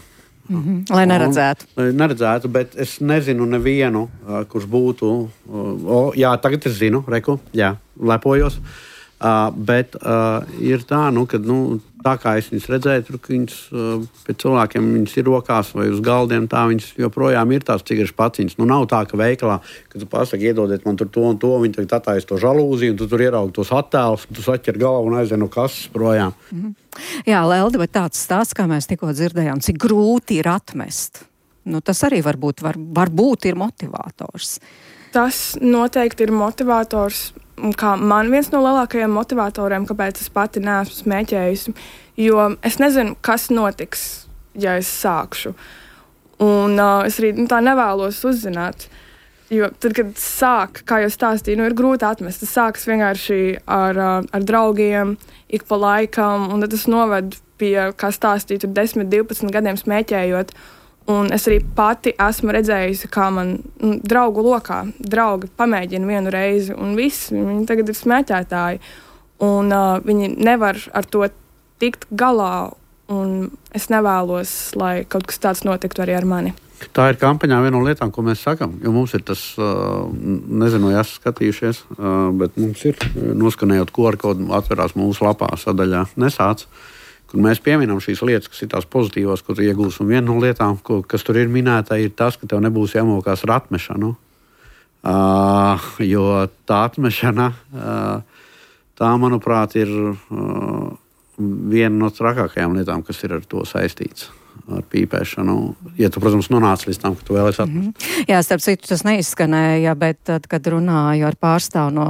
Lai neredzētu. Lai neredzētu, bet es nezinu nevienu, kurš būtu... tagad es zinu, lepojos. Bet ir tā, ka tā kā es viņas redzēju, tur, ka viņas pie cilvēkiem viņas ir rokās vai uz galdiem, tā viņas joprojām ir tās cigarešu paciņas. Nav tā, ka veikalā, kad tu pasaki, iedodiet man tur to un to, viņi tagad atājas to žalūziju, un tu tur ieraugi tos attēlus, tu saķer galvu un aizvien no kases projām. Jā, Lelde, bet tāds stāsts, kā mēs tikko dzirdējām, cik grūti ir atmest. Tas arī varbūt ir motivators. Tas noteikti ir motivators. Kā man viens no lielākajiem motivatoriem, kāpēc es pati neesmu smēķējusi, jo es nezinu, kas notiks, ja es sākšu. Un es arī tā nevēlos uzzināt. Jo tad, kad sāk, kā jau stāstīju, ir grūti atmest. Tas sākas vienkārši ar draugiem, ik pa laikam, un tad tas noved pie, kā stāstīju, 10, 12 gadiem smēķējot. Un es arī pati esmu redzējusi, kā man draugu lokā draugi pamēģina vienu reizi, un viņi tagad ir smēķētāji. Un viņi nevar ar to tikt galā, un es nevēlos, lai kaut kas tāds notiktu arī ar mani. Tā ir kampaņā viena no lietām, ko mēs sakam, jo mums ir tas, nezinu, vai esat skatījušies, bet mums ir noskanējot QR kodu, atverās mūsu lapā sadaļā Nesāc. Mēs pieminam šīs lietas, kas ir tās pozitīvās, ko tu iegūsi. Un viena no lietām, kas tur ir minēta, ir tas, ka tev nebūs jāmokās ar atmešanu. Jo tā atmešana, tā, manuprāt, ir viena no trakākajām lietām, kas ir ar to saistīts. Ar pīpēšanu. Ja tu, protams, nonāc līdz tam, ka tu vēlies atmest. Jā, starp citu, tas neizskanēja, bet tad, kad runāju ar pārstāvu no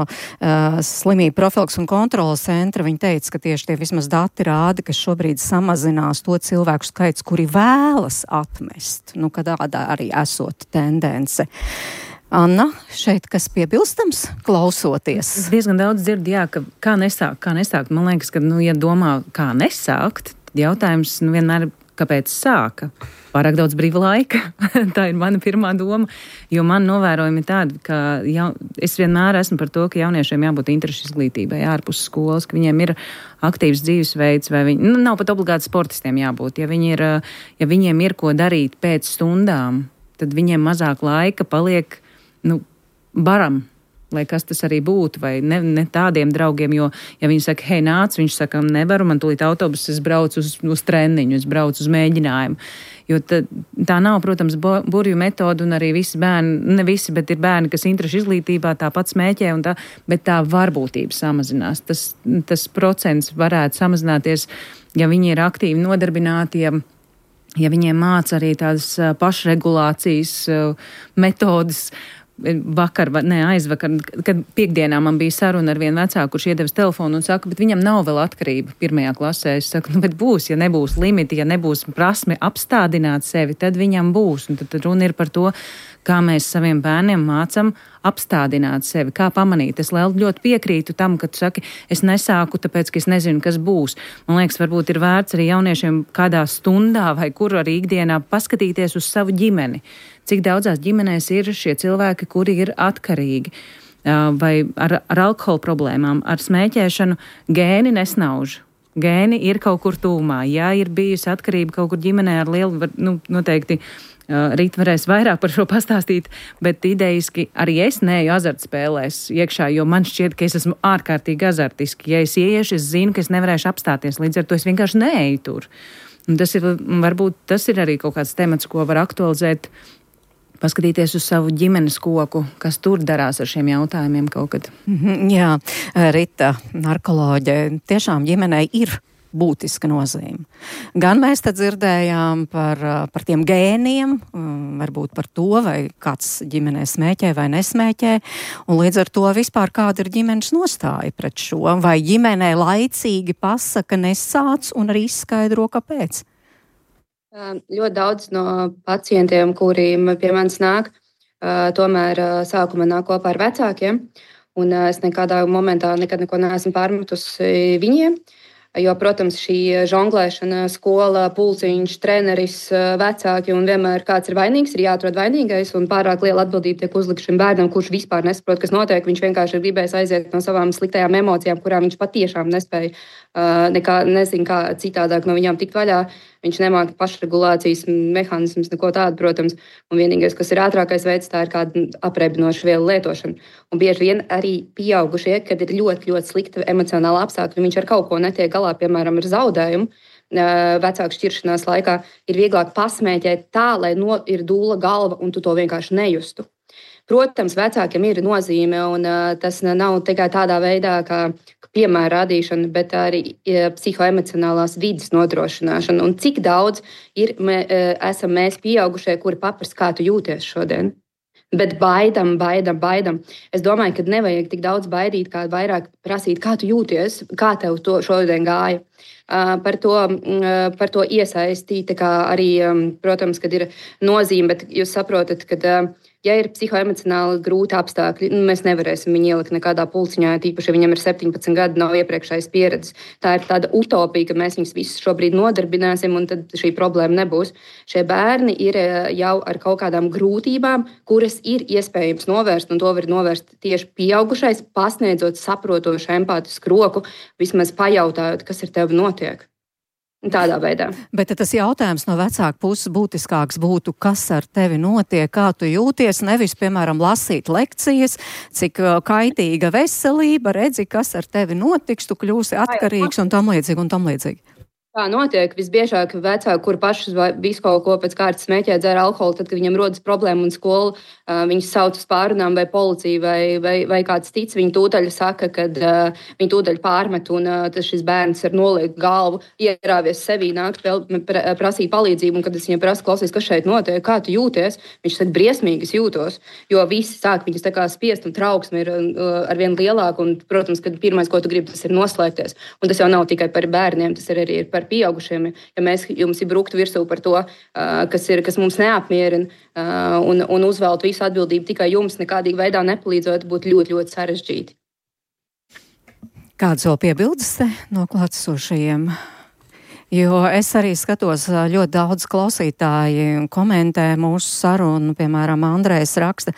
slimību profilaks un kontrolas centra, viņi teica, ka tieši tie vismaz dati rāda, ka šobrīd samazinās to cilvēku skaits, kuri vēlas atmest. Kad tāda arī esot tendence. Anna, šeit kas piebilstams, klausoties? Es diezgan daudz dzirdu, jā, ka kā nesākt. Man liekas, ka, ja domā, kā nesākt, jautājums vienmēr kāpēc sāka? Pārāk daudz brīva laika. Tā ir mana pirmā doma. Jo man novērojumi tādi, ka es vienmēr esmu par to, ka jauniešiem jābūt interešu izglītībai ārpus skolas, ka viņiem ir aktīvs dzīvesveids, vai viņi nav pat obligāti sportistiem jābūt. Ja viņiem ir ko darīt pēc stundām, tad viņiem mazāk laika paliek baram. Lai kas tas arī būtu, vai ne tādiem draugiem, jo, ja viņi saka, hei, nāc, viņš saka, nevaru, man tūlīt autobuss, es braucu uz treniņu, es braucu uz mēģinājumu. Jo tā nav, protams, burju metoda, un arī visi bērni, ne visi, bet ir bērni, kas interešu izglītībā tāpat smēķē, bet tā varbūtība samazinās. Tas procents varētu samazināties, ja viņi ir aktīvi nodarbināti, ja viņiem māca arī tādas pašregulācijas metodas. Aizvakar, kad piekdienā man bija saruna ar vienu vecāku, kurš iedevis telefonu un saka, bet viņam nav vēl atkarība 1. klasē. Es saku, bet būs, ja nebūs limiti, ja nebūs prasme apstādināt sevi, tad viņam būs. Un tad runa ir par to, kā mēs saviem bērniem mācam apstādināt sevi, kā pamanīt. Es ļoti piekrītu tam, ka tu saki, es nesāku, tāpēc, ka es nezinu, kas būs. Man liekas, varbūt ir vērts arī jauniešiem kādā stundā vai kur arī ikdienā paskatīties uz savu ģimeni. Cik daudzās ģimenēs ir šie cilvēki, kuri ir atkarīgi vai ar alkohola problēmām, ar smēķēšanu, gēni nesnauž. Gēni ir kaut kur tūmā. Ja ir bijusi atkarība kaut kur ģimenē ar lielu, noteikti Rīt varēs vairāk par šo pastāstīt, bet idejiski arī es neeju azartspēlēs iekšā, jo man šķiet, ka es esmu ārkārtīgi azartiski. Ja es ieiešu, es zinu, ka es nevarēšu apstāties, līdz ar to es vienkārši neeju tur. Un varbūt tas ir arī kaut kāds temats, ko var aktualizēt, paskatīties uz savu ģimenes koku, kas tur darās ar šiem jautājumiem kaut kad. Jā, Rita, narkoloģe, tiešām ģimenei ir būtiska nozīme. Gan mēs te dzirdējām par tiem gēniem, varbūt par to, vai kāds ģimenē smēķē vai nesmēķē, un līdz ar to vispār kāda ir ģimenes nostāja pret šo, vai ģimenē laicīgi pasaka nesāc un arī izskaidro, kāpēc. Ļoti daudz no pacientiem, kuriem pie manis nāk, tomēr sākumā nāk kopā ar vecākiem, un es nekādā momentā nekad neko neesmu pārmetusi viņiem. Jo, protams, šī žonglēšana, skola, pulciņš, treneris, vecāki un vienmēr kāds ir vainīgs, ir jāatrod vainīgais un pārāk liela atbildība tiek uzlikta šim bērnam, kurš vispār nesaprot, kas notiek. Viņš vienkārši ir gribējis aiziet no savām sliktajām emocijām, kurām viņš patiešām nespēja nezinu, kā citādāk no viņām tikt vaļā. Viņš nemāca pašregulācijas mehānismus, neko tādu, protams. Un vienīgais, kas ir ātrākais veids, tā ir kāda apreibinoša vielu lietošana. Un bieži vien arī pieaugušie, kad ir ļoti, ļoti slikta emocionāla apstākļa, viņš ar kaut ko netiek galā, piemēram, ar zaudējumu. Vecāku šķiršanās laikā ir vieglāk pasmēķēt tā, lai ir dūla galva un tu to vienkārši nejustu. Protams, vecākiem ir nozīme, un tas nav tikai tādā veidā, kā piemēra rādīšana, bet arī psihoemocionālās vides nodrošināšana. Un cik daudz esam mēs pieaugušie, kuri paprasa, kā tu jūties šodien. Bet baidam. Es domāju, ka nevajag tik daudz baidīt, kā vairāk prasīt, kā tu jūties, kā tev to šodien gāja. Par to iesaistīt, arī, protams, kad ir nozīme, bet jūs saprotat, ka ja ir psihoemocionāli grūti apstākļi, mēs nevarēsim viņu ielikt nekādā pulciņā, tīpaši, ja viņam ir 17 gadi, nav iepriekšējas pieredzes. Tā ir tāda utopija, ka mēs viņus visus šobrīd nodarbināsim, un tad šī problēma nebūs. Šie bērni ir jau ar kaut kādām grūtībām, kuras ir iespējams novērst, un to var novērst tieši pieaugušais, pasniedzot saprotošu empātisku roku, vismaz pajautājot, kas ar tevi notiek. Tādā veidā. Bet tas jautājums no vecāka puses būtiskāks būtu, kas ar tevi notiek, kā tu jūties, nevis, piemēram, lasīt lekcijas, cik kaitīga veselība, redzi, kas ar tevi notiks, tu kļūsi atkarīgs un tam līdzīgi. Tā notiek visbiežāk vecāki, kur paši visu kaut ko pēc kārtas smēķē, dzer alkoholu, tad, kad viņam rodas problēma un skola viņus sauc uz pārunām vai policiju vai kāds cits, viņi tūdaļ saka, kad viņi tūdaļ pārmet un tad šis bērns ar noliektu galvu, ierāvies sevī, nāk prasīt palīdzību, un kad es viņam prasu, klausies, kas šeit notiek, kā tu jūties, viņš saka, briesmīgi es jūtos, jo visi sāk viņus tā kā spiest un trauksme ir arvien lielāka, un, protams, kad pirmais, ko tu gribi, tas ir noslēgties, un tas jau nav tikai par bērniem, tas ir arī par pieaugušiem, ja jums ir bruktu virsū par to, kas mums neapmierina, un uzvelt visu atbildību tikai jums, nekādīgi veidā nepalīdzot, būtu ļoti, ļoti sarežģīti. Kādas vēl piebildes no klātesošajiem? Jo es arī skatos, ļoti daudz klausītāji komentē mūsu sarunu, piemēram, Andrejs raksta,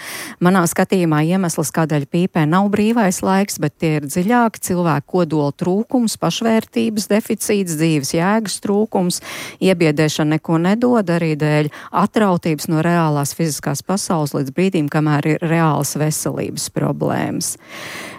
manā skatījumā iemesls, kādēļ pīpē nav brīvais laiks, bet tie ir dziļāki cilvēku kodola trūkums, pašvērtības deficīts, dzīves jēgas trūkums, iebiedēšana neko nedod, arī dēļ atrautības no reālās fiziskās pasaules līdz brīdim, kamēr ir reālas veselības problēmas.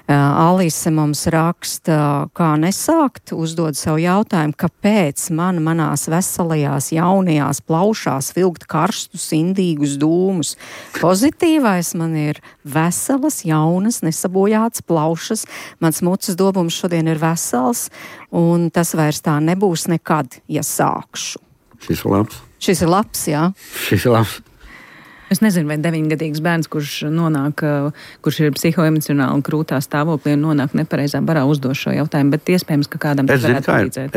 Alise mums raksta, kā nesākt, uzdod savu jautājumu, kāpēc manās veselajās jaunajās plaušās vilkt karstus, indīgus dūmus. Pozitīvais man ir veselas, jaunas, nesabojātas plaušas, mans mutes dobums šodien ir vesels, un tas vairs tā nebūs nekad, ja sākšu. Šis ir labs. Šis ir labs, jā. Šis ir labs. Es nezinu, vai 9-gadīgs bērns, kurš ir psihoemocionāli krūtā stāvoklī un nonāk nepareizā barā, uzdos šo jautājumu, bet iespējams, ka kādam tas varētu palīdzēt.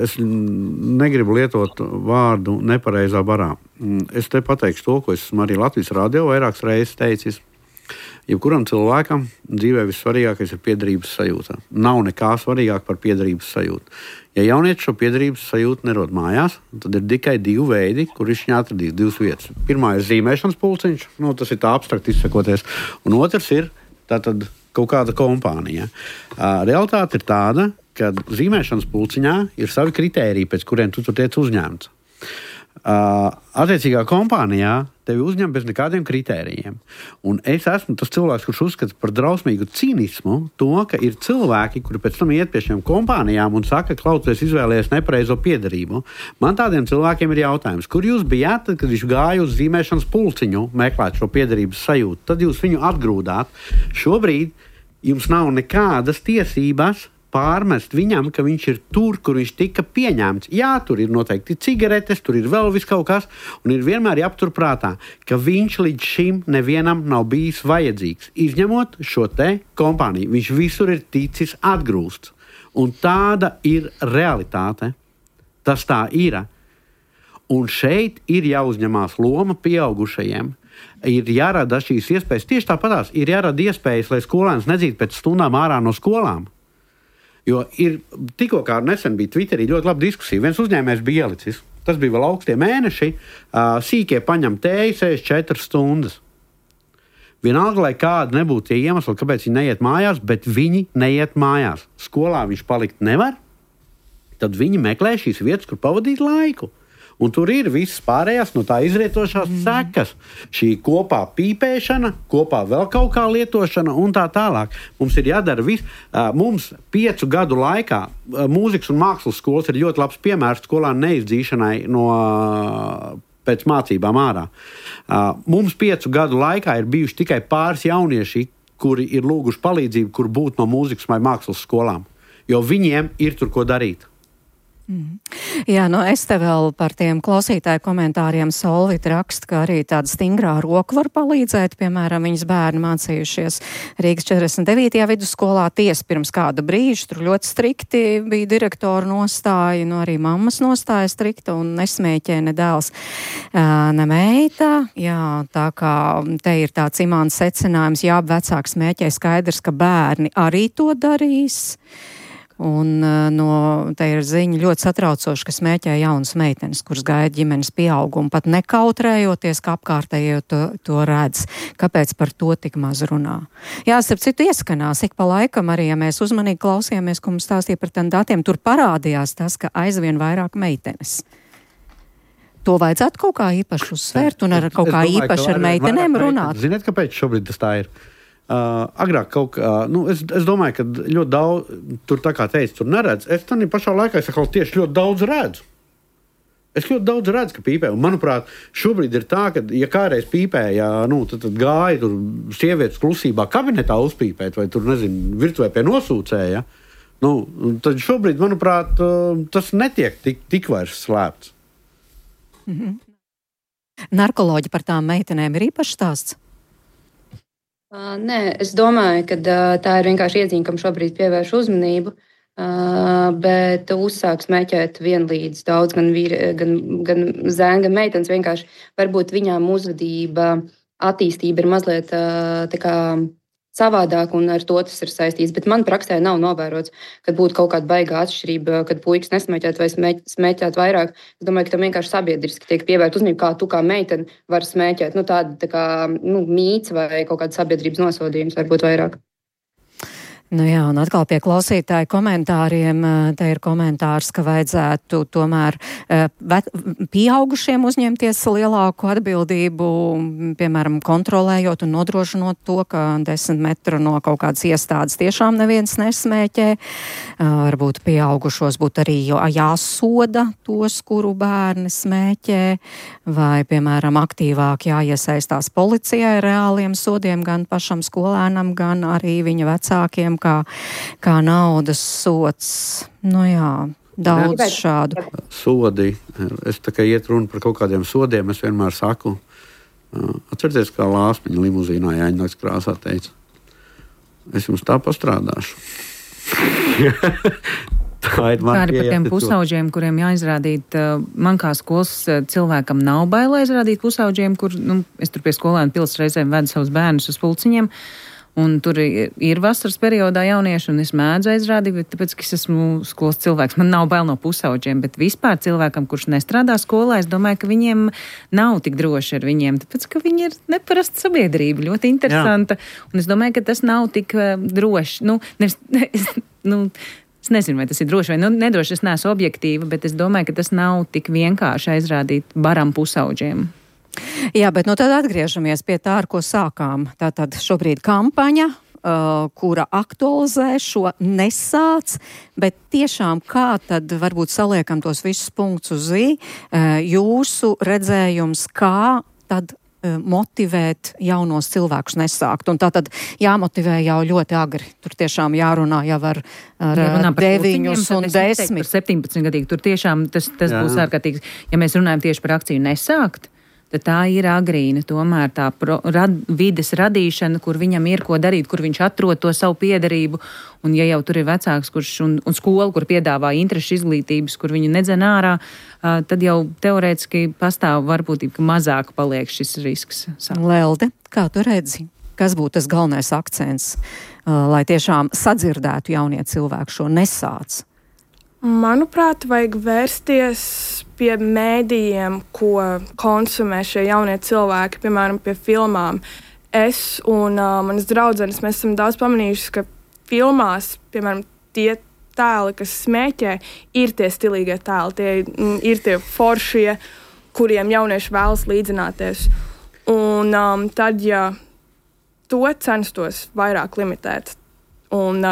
Es negribu lietot vārdu nepareizā barā. Es te pateikšu to, ko esmu arī Latvijas radio vairākas reizes teicis. Jebkuram cilvēkam dzīvē vissvarīgākais ir piederības sajūta. Nav nekā svarīgāk par piederības sajūtu. Ja jaunietis šo piederības sajūtu nerod mājās, tad ir tikai divi veidi, kur viņš viņu atradīs, divas vietas. Pirmā ir zīmēšanas pulciņš, tas ir tā abstrakt izsakoties, un otrs ir tātad kaut kāda kompānija. Realitāte ir tāda, ka zīmēšanas pulciņā ir savi kritēriji, pēc kuriem tu tur tiec uzņemts. Attiecīgā kompānijā tevi uzņem bez nekādiem kritērijiem. Un es esmu tas cilvēks, kurš uzskata par drausmīgu cīnismu to, ka ir cilvēki, kuri pēc tam iet pie šiem kompānijām un saka, klausies, izvēlējies nepareizo piederību. Man tādiem cilvēkiem ir jautājums, kur jūs bijāt, tad, kad viņš gāja uz zīmēšanas pulciņu meklēt šo piederības sajūtu, tad jūs viņu atgrūdāt. Šobrīd jums nav nekādas tiesības pārmest viņam, ka viņš ir tur, kur viņš tika pieņemts. Jā, tur ir noteikti cigaretes, tur ir vēl viss kaut kas, un ir vienmēr jāaptur prātā, ka viņš līdz šim nevienam nav bijis vajadzīgs. Izņemot šo te kompāniju, viņš visur ir ticis atgrūsts. Un tāda ir realitāte. Tas tā ir. Un šeit ir jāuzņemās loma pieaugušajiem. Ir jārada šīs iespējas. Tieši tāpatās ir jārada iespējas, lai skolēns nedzītu pēc stundām ārā no skolām. Jo ir tikko kā nesen bija Twitterī ļoti laba diskusija. Viens uzņēmējs bija ielicis. Tas bija vēl augstie mēneši. Sīkie paņem tēju 64 stundas. Vienalga, lai kāda nebūtu tie iemesli, kāpēc viņi neiet mājās, bet viņi neiet mājās. Skolā viņš palikt nevar, tad viņi meklē šīs vietas, kur pavadīt laiku. Un tur ir visas pārējās no tā izrietošās sekas. Šī kopā pīpēšana, kopā vēl kaut kā lietošana un tā tālāk. Mums ir jādara viss. Mums 5 gadu laikā mūzikas un mākslas skolas ir ļoti labs piemērs skolānu neizdzīšanai pēc mācībām ārā. Mums 5 gadu laikā ir bijuši tikai pāris jaunieši, kuri ir lūguši palīdzību, kur būt no mūzikas vai mākslas skolām. Jo viņiem ir tur ko darīt. Jā, es te vēl par tiem klausītāju komentāriem Solvita raksta, ka arī tāda stingrā roka var palīdzēt. Piemēram, viņas bērni mācījušies Rīgas 49. vidusskolā tiesa pirms kāda brīža. Tur ļoti strikti bija direktora nostāja, arī mammas nostāja strikta un nesmēķē ne dēls, ne meita. Jā, tā kā te ir tāds imants secinājums, jā, vecāks smēķē, skaidrs, ka bērni arī to darīs. Un te ir ziņa ļoti satraucoši, ka smēķē jaunas meitenes, kuras gaida ģimenes pieaugumu, pat nekautrējoties, ka apkārtējie to redz. Kāpēc par to tik maz runā? Jā, starp citu ieskanās, ik pa laikam arī, ja mēs uzmanīgi klausījāmies, ko mums stāstīja par tiem datiem, tur parādījās tas, ka aizvien vairāk meitenes. To vajadzētu kaut kā īpaši uzsvērt un ar kaut kā īpaši ar meitenēm runāt. Ziniet, kāpēc šobrīd tas tā ir? Agrāk kaut kā, es domāju, ka ļoti daudz, tur tā kā teicu, tur neredz. Es tam pašā laikā tieši ļoti daudz redzu. Es ļoti daudz redzu, ka pīpē. Un, manuprāt, šobrīd ir tā, ka, ja kādreiz pīpēja, tad gāja tur sievietes klusībā kabinetā uzpīpēt, vai tur, virtuvē pie nosūcēja, tad šobrīd, manuprāt, tas netiek tik vairs slēpts. Narkoloģi par tām meitenēm ir īpašs stāsts? Nē, es domāju, ka tā ir vienkārši iezīme, kam šobrīd pievērš uzmanību, bet uzsāk smēķēt vienlīdz daudz gan zēni, gan meitenes. Vienkārši varbūt viņām uzvedība, attīstība ir mazliet tā kā savādāk, un ar to tas ir saistīts. Bet man praksē nav novērots, ka būtu kaut kāda baigā atšķirība, kad puikas nesmēķēt vai smēķēt vairāk. Es domāju, ka tam vienkārši sabiedriski tiek pievērta uzmanība, kā tu kā meitene var smēķēt. Tāda tā kā mīts vai kaut kāda sabiedrības nosodījums varbūt vairāk. Jā, un atkal pie klausītāju komentāriem. Te ir komentārs, ka vajadzētu tomēr pieaugušiem uzņemties lielāku atbildību, piemēram, kontrolējot un nodrošinot to, ka 10 metru no kaut kādas iestādes tiešām neviens nesmēķē. Varbūt pieaugušos būtu arī jāsoda tos, kuru bērni smēķē, vai, piemēram, aktīvāk jāiesaistās policijai reāliem sodiem gan pašam skolēnam, gan arī viņa vecākiem, kā naudas sots. Daudz šādu. Sodi. Es tā kā iet runa par kaut kādiem sodiem, es vienmēr saku, atcerieties, kā Lāsmiņa limuzīnā Jāņņoks krāsā teica, es jums tā pastrādāšu. Kā arī par tiem pusauģiem, kuriem jāizrādīt, man kā skolas cilvēkam nav baila izrādīt pusauģiem, kur, es tur pie skolēnu pils reizēm vedu savus bērnus uz pulciņiem, un tur ir vasaras periodā jaunieši, un es mēdzu aizrādīt, bet tāpēc, ka es esmu skolas cilvēks, man nav bail no pusauģiem, bet vispār cilvēkam, kurš nestrādā skolā, es domāju, ka viņiem nav tik droši ar viņiem, tāpēc, ka viņi ir neparasta sabiedrība, ļoti interesanta, un es domāju, ka tas nav tik droši, es nezinu, vai tas ir droši vai nedroši, es neesmu objektīva, bet es domāju, ka tas nav tik vienkārši aizrādīt baram pusauģiem. Jā, bet tad atgriežamies pie tā, ar ko sākām. Tātad šobrīd kampaņa, kura aktualizē šo nesāc, bet tiešām kā tad varbūt saliekam tos visus punktus uz i, jūsu redzējums, kā tad motivēt jaunos cilvēkus nesākt. Un tātad jāmotivē jau ļoti agri. Tur tiešām jārunā jau ar 9 un 10. Par 17 gadīgi. Tur tiešām tas būs ārkārtīgi. Ja mēs runājam tieši par akciju nesākt, tad tā ir agrīna, tomēr tā vides radīšana, kur viņam ir ko darīt, kur viņš atrod to savu piederību. Un ja jau tur ir vecāks un skola, kur piedāvā interešu izglītības, kur viņu nedzen ārā, tad jau teorētiski pastāv varbūtība, ka mazāk paliek šis risks. Lelde, kā tu redzi? Kas būtu tas galvenais akcents, lai tiešām sadzirdētu jaunie cilvēki šo nesāc? Manuprāt, vajag vērsties pie mēdījiem, ko konsumē šie jaunie cilvēki, piemēram, pie filmām. Es un manas draudzenes, mēs esam daudz pamanījuši, ka filmās, piemēram, tie tēli, kas smēķē, ir tie stilīgie tēli, tie ir tie foršie, kuriem jaunieši vēlas līdzināties. Un tad, ja to censtos vairāk limitēt un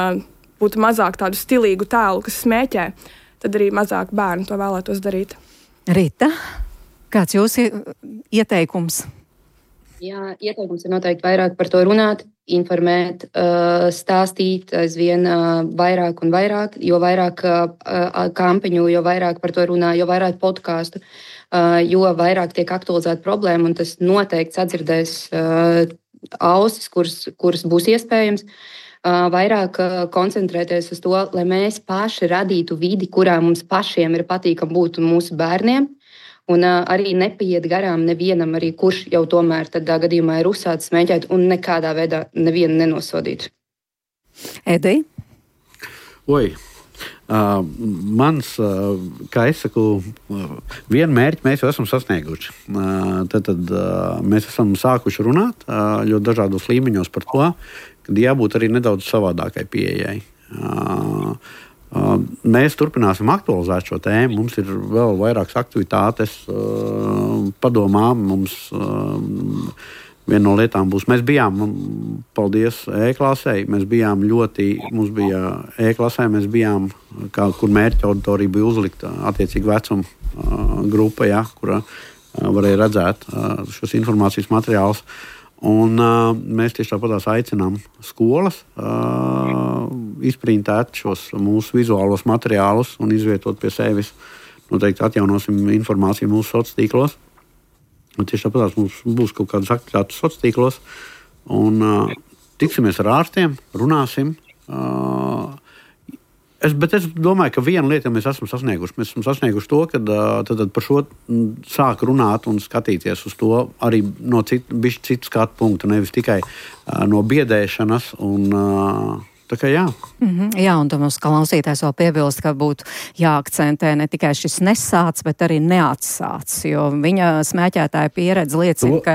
būtu mazāk tādu stilīgu tēlu, kas smēķē, tad arī mazāk bērni to vēlētos darīt. Rita, kāds jūsu ieteikums? Jā, ieteikums ir noteikti vairāk par to runāt, informēt, stāstīt aizvien vairāk un vairāk, jo vairāk kampaņu, jo vairāk par to runā, jo vairāk podkāstu, jo vairāk tiek aktualizēta problēma, un tas noteikti sadzirdēs ausis, kuras būs iespējams. Vairāk koncentrēties uz to, lai mēs paši radītu vidi, kurā mums pašiem ir patīkami būt mūsu bērniem. Un arī nepaiet garām nevienam, arī kurš jau tomēr tādā gadījumā ir uzsācis smēķēt un nekādā veidā nevienu nenosodīt. Edij? Mans, kā es saku, vienu mērķi mēs jau esam sasnieguši. Tad mēs esam sākuši runāt ļoti dažādos līmeņos par to, ka jābūt arī nedaudz savādākai pieejai. Mēs turpināsim aktualizēt šo tēmu. Mums ir vēl vairākas aktivitātes padomā. Mums viena no lietām būs, mēs bijām, paldies E-klasei, mums bija E-klasē, mēs bijām, kur mērķa auditorija bija uzlikta attiecīgi vecuma grupa, ja, kura varēja redzēt šos informācijas materiālus. Un mēs tieši tāpatās aicinām skolas izprintēt šos mūsu vizuālos materiālus un izvietot pie sevis. Noteikti atjaunosim informāciju mūsu sociālos tīklos. Un tieši tāpatās mums būs kaut kādas aktivitātes sociālos tīklos. Un tiksimies ar ārstiem, runāsim. Bet es domāju, ka viena lieta mēs esam sasnieguši. Mēs esam sasnieguši to, ka tad par šo sāk runāt un skatīties uz to arī no citu skatu punktu, nevis tikai no biedēšanas. Tā kā jā. Jā, un tam mums klausītājs vēl piebilst, ka būtu jāakcentē ne tikai šis nesāc, bet arī neatsāc, jo viņa smēķētāja pieredze liecina, ka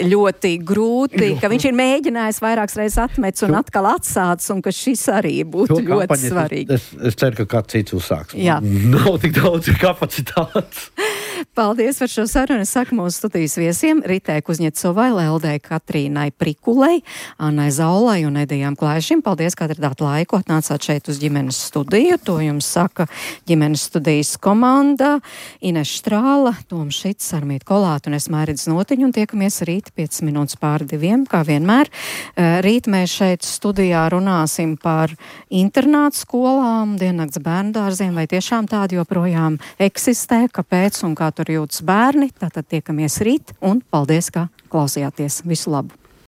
ļoti grūti, ka viņš ir mēģinājis vairākas reizes atmets un atkal atsāc, un ka šis arī būtu ļoti svarīgi. Es ceru, ka kāds cits uzsāks. Jā. Nav tik daudz kapacitātes. Paldies par šo sarunu. Es saku mūsu studijas viesiem Ritei Kuzņecovai, Leldei Katrīnai Prikulei, Annai Zaulai un Edijam Klaišim. Paldies, ka atradāt laiku, atnācāt šeit uz ģimenes studiju. To jums saka ģimenes studijas komanda Ines Štrāla, Toms Šits, Sarmīta Kolāta un es Mairidz Notiņu, un tiekamies rīt 5 minūtes pār 2, kā vienmēr. Rīt mēs šeit studijā runāsim par internātu skolām, diennakts bērndārziem, vai tiešām tādi joprojām eksistē, kāpēc un kā tur jūtas bērni. Tātad tiekamies rīt un paldies, ka klausījāties. Visu labu!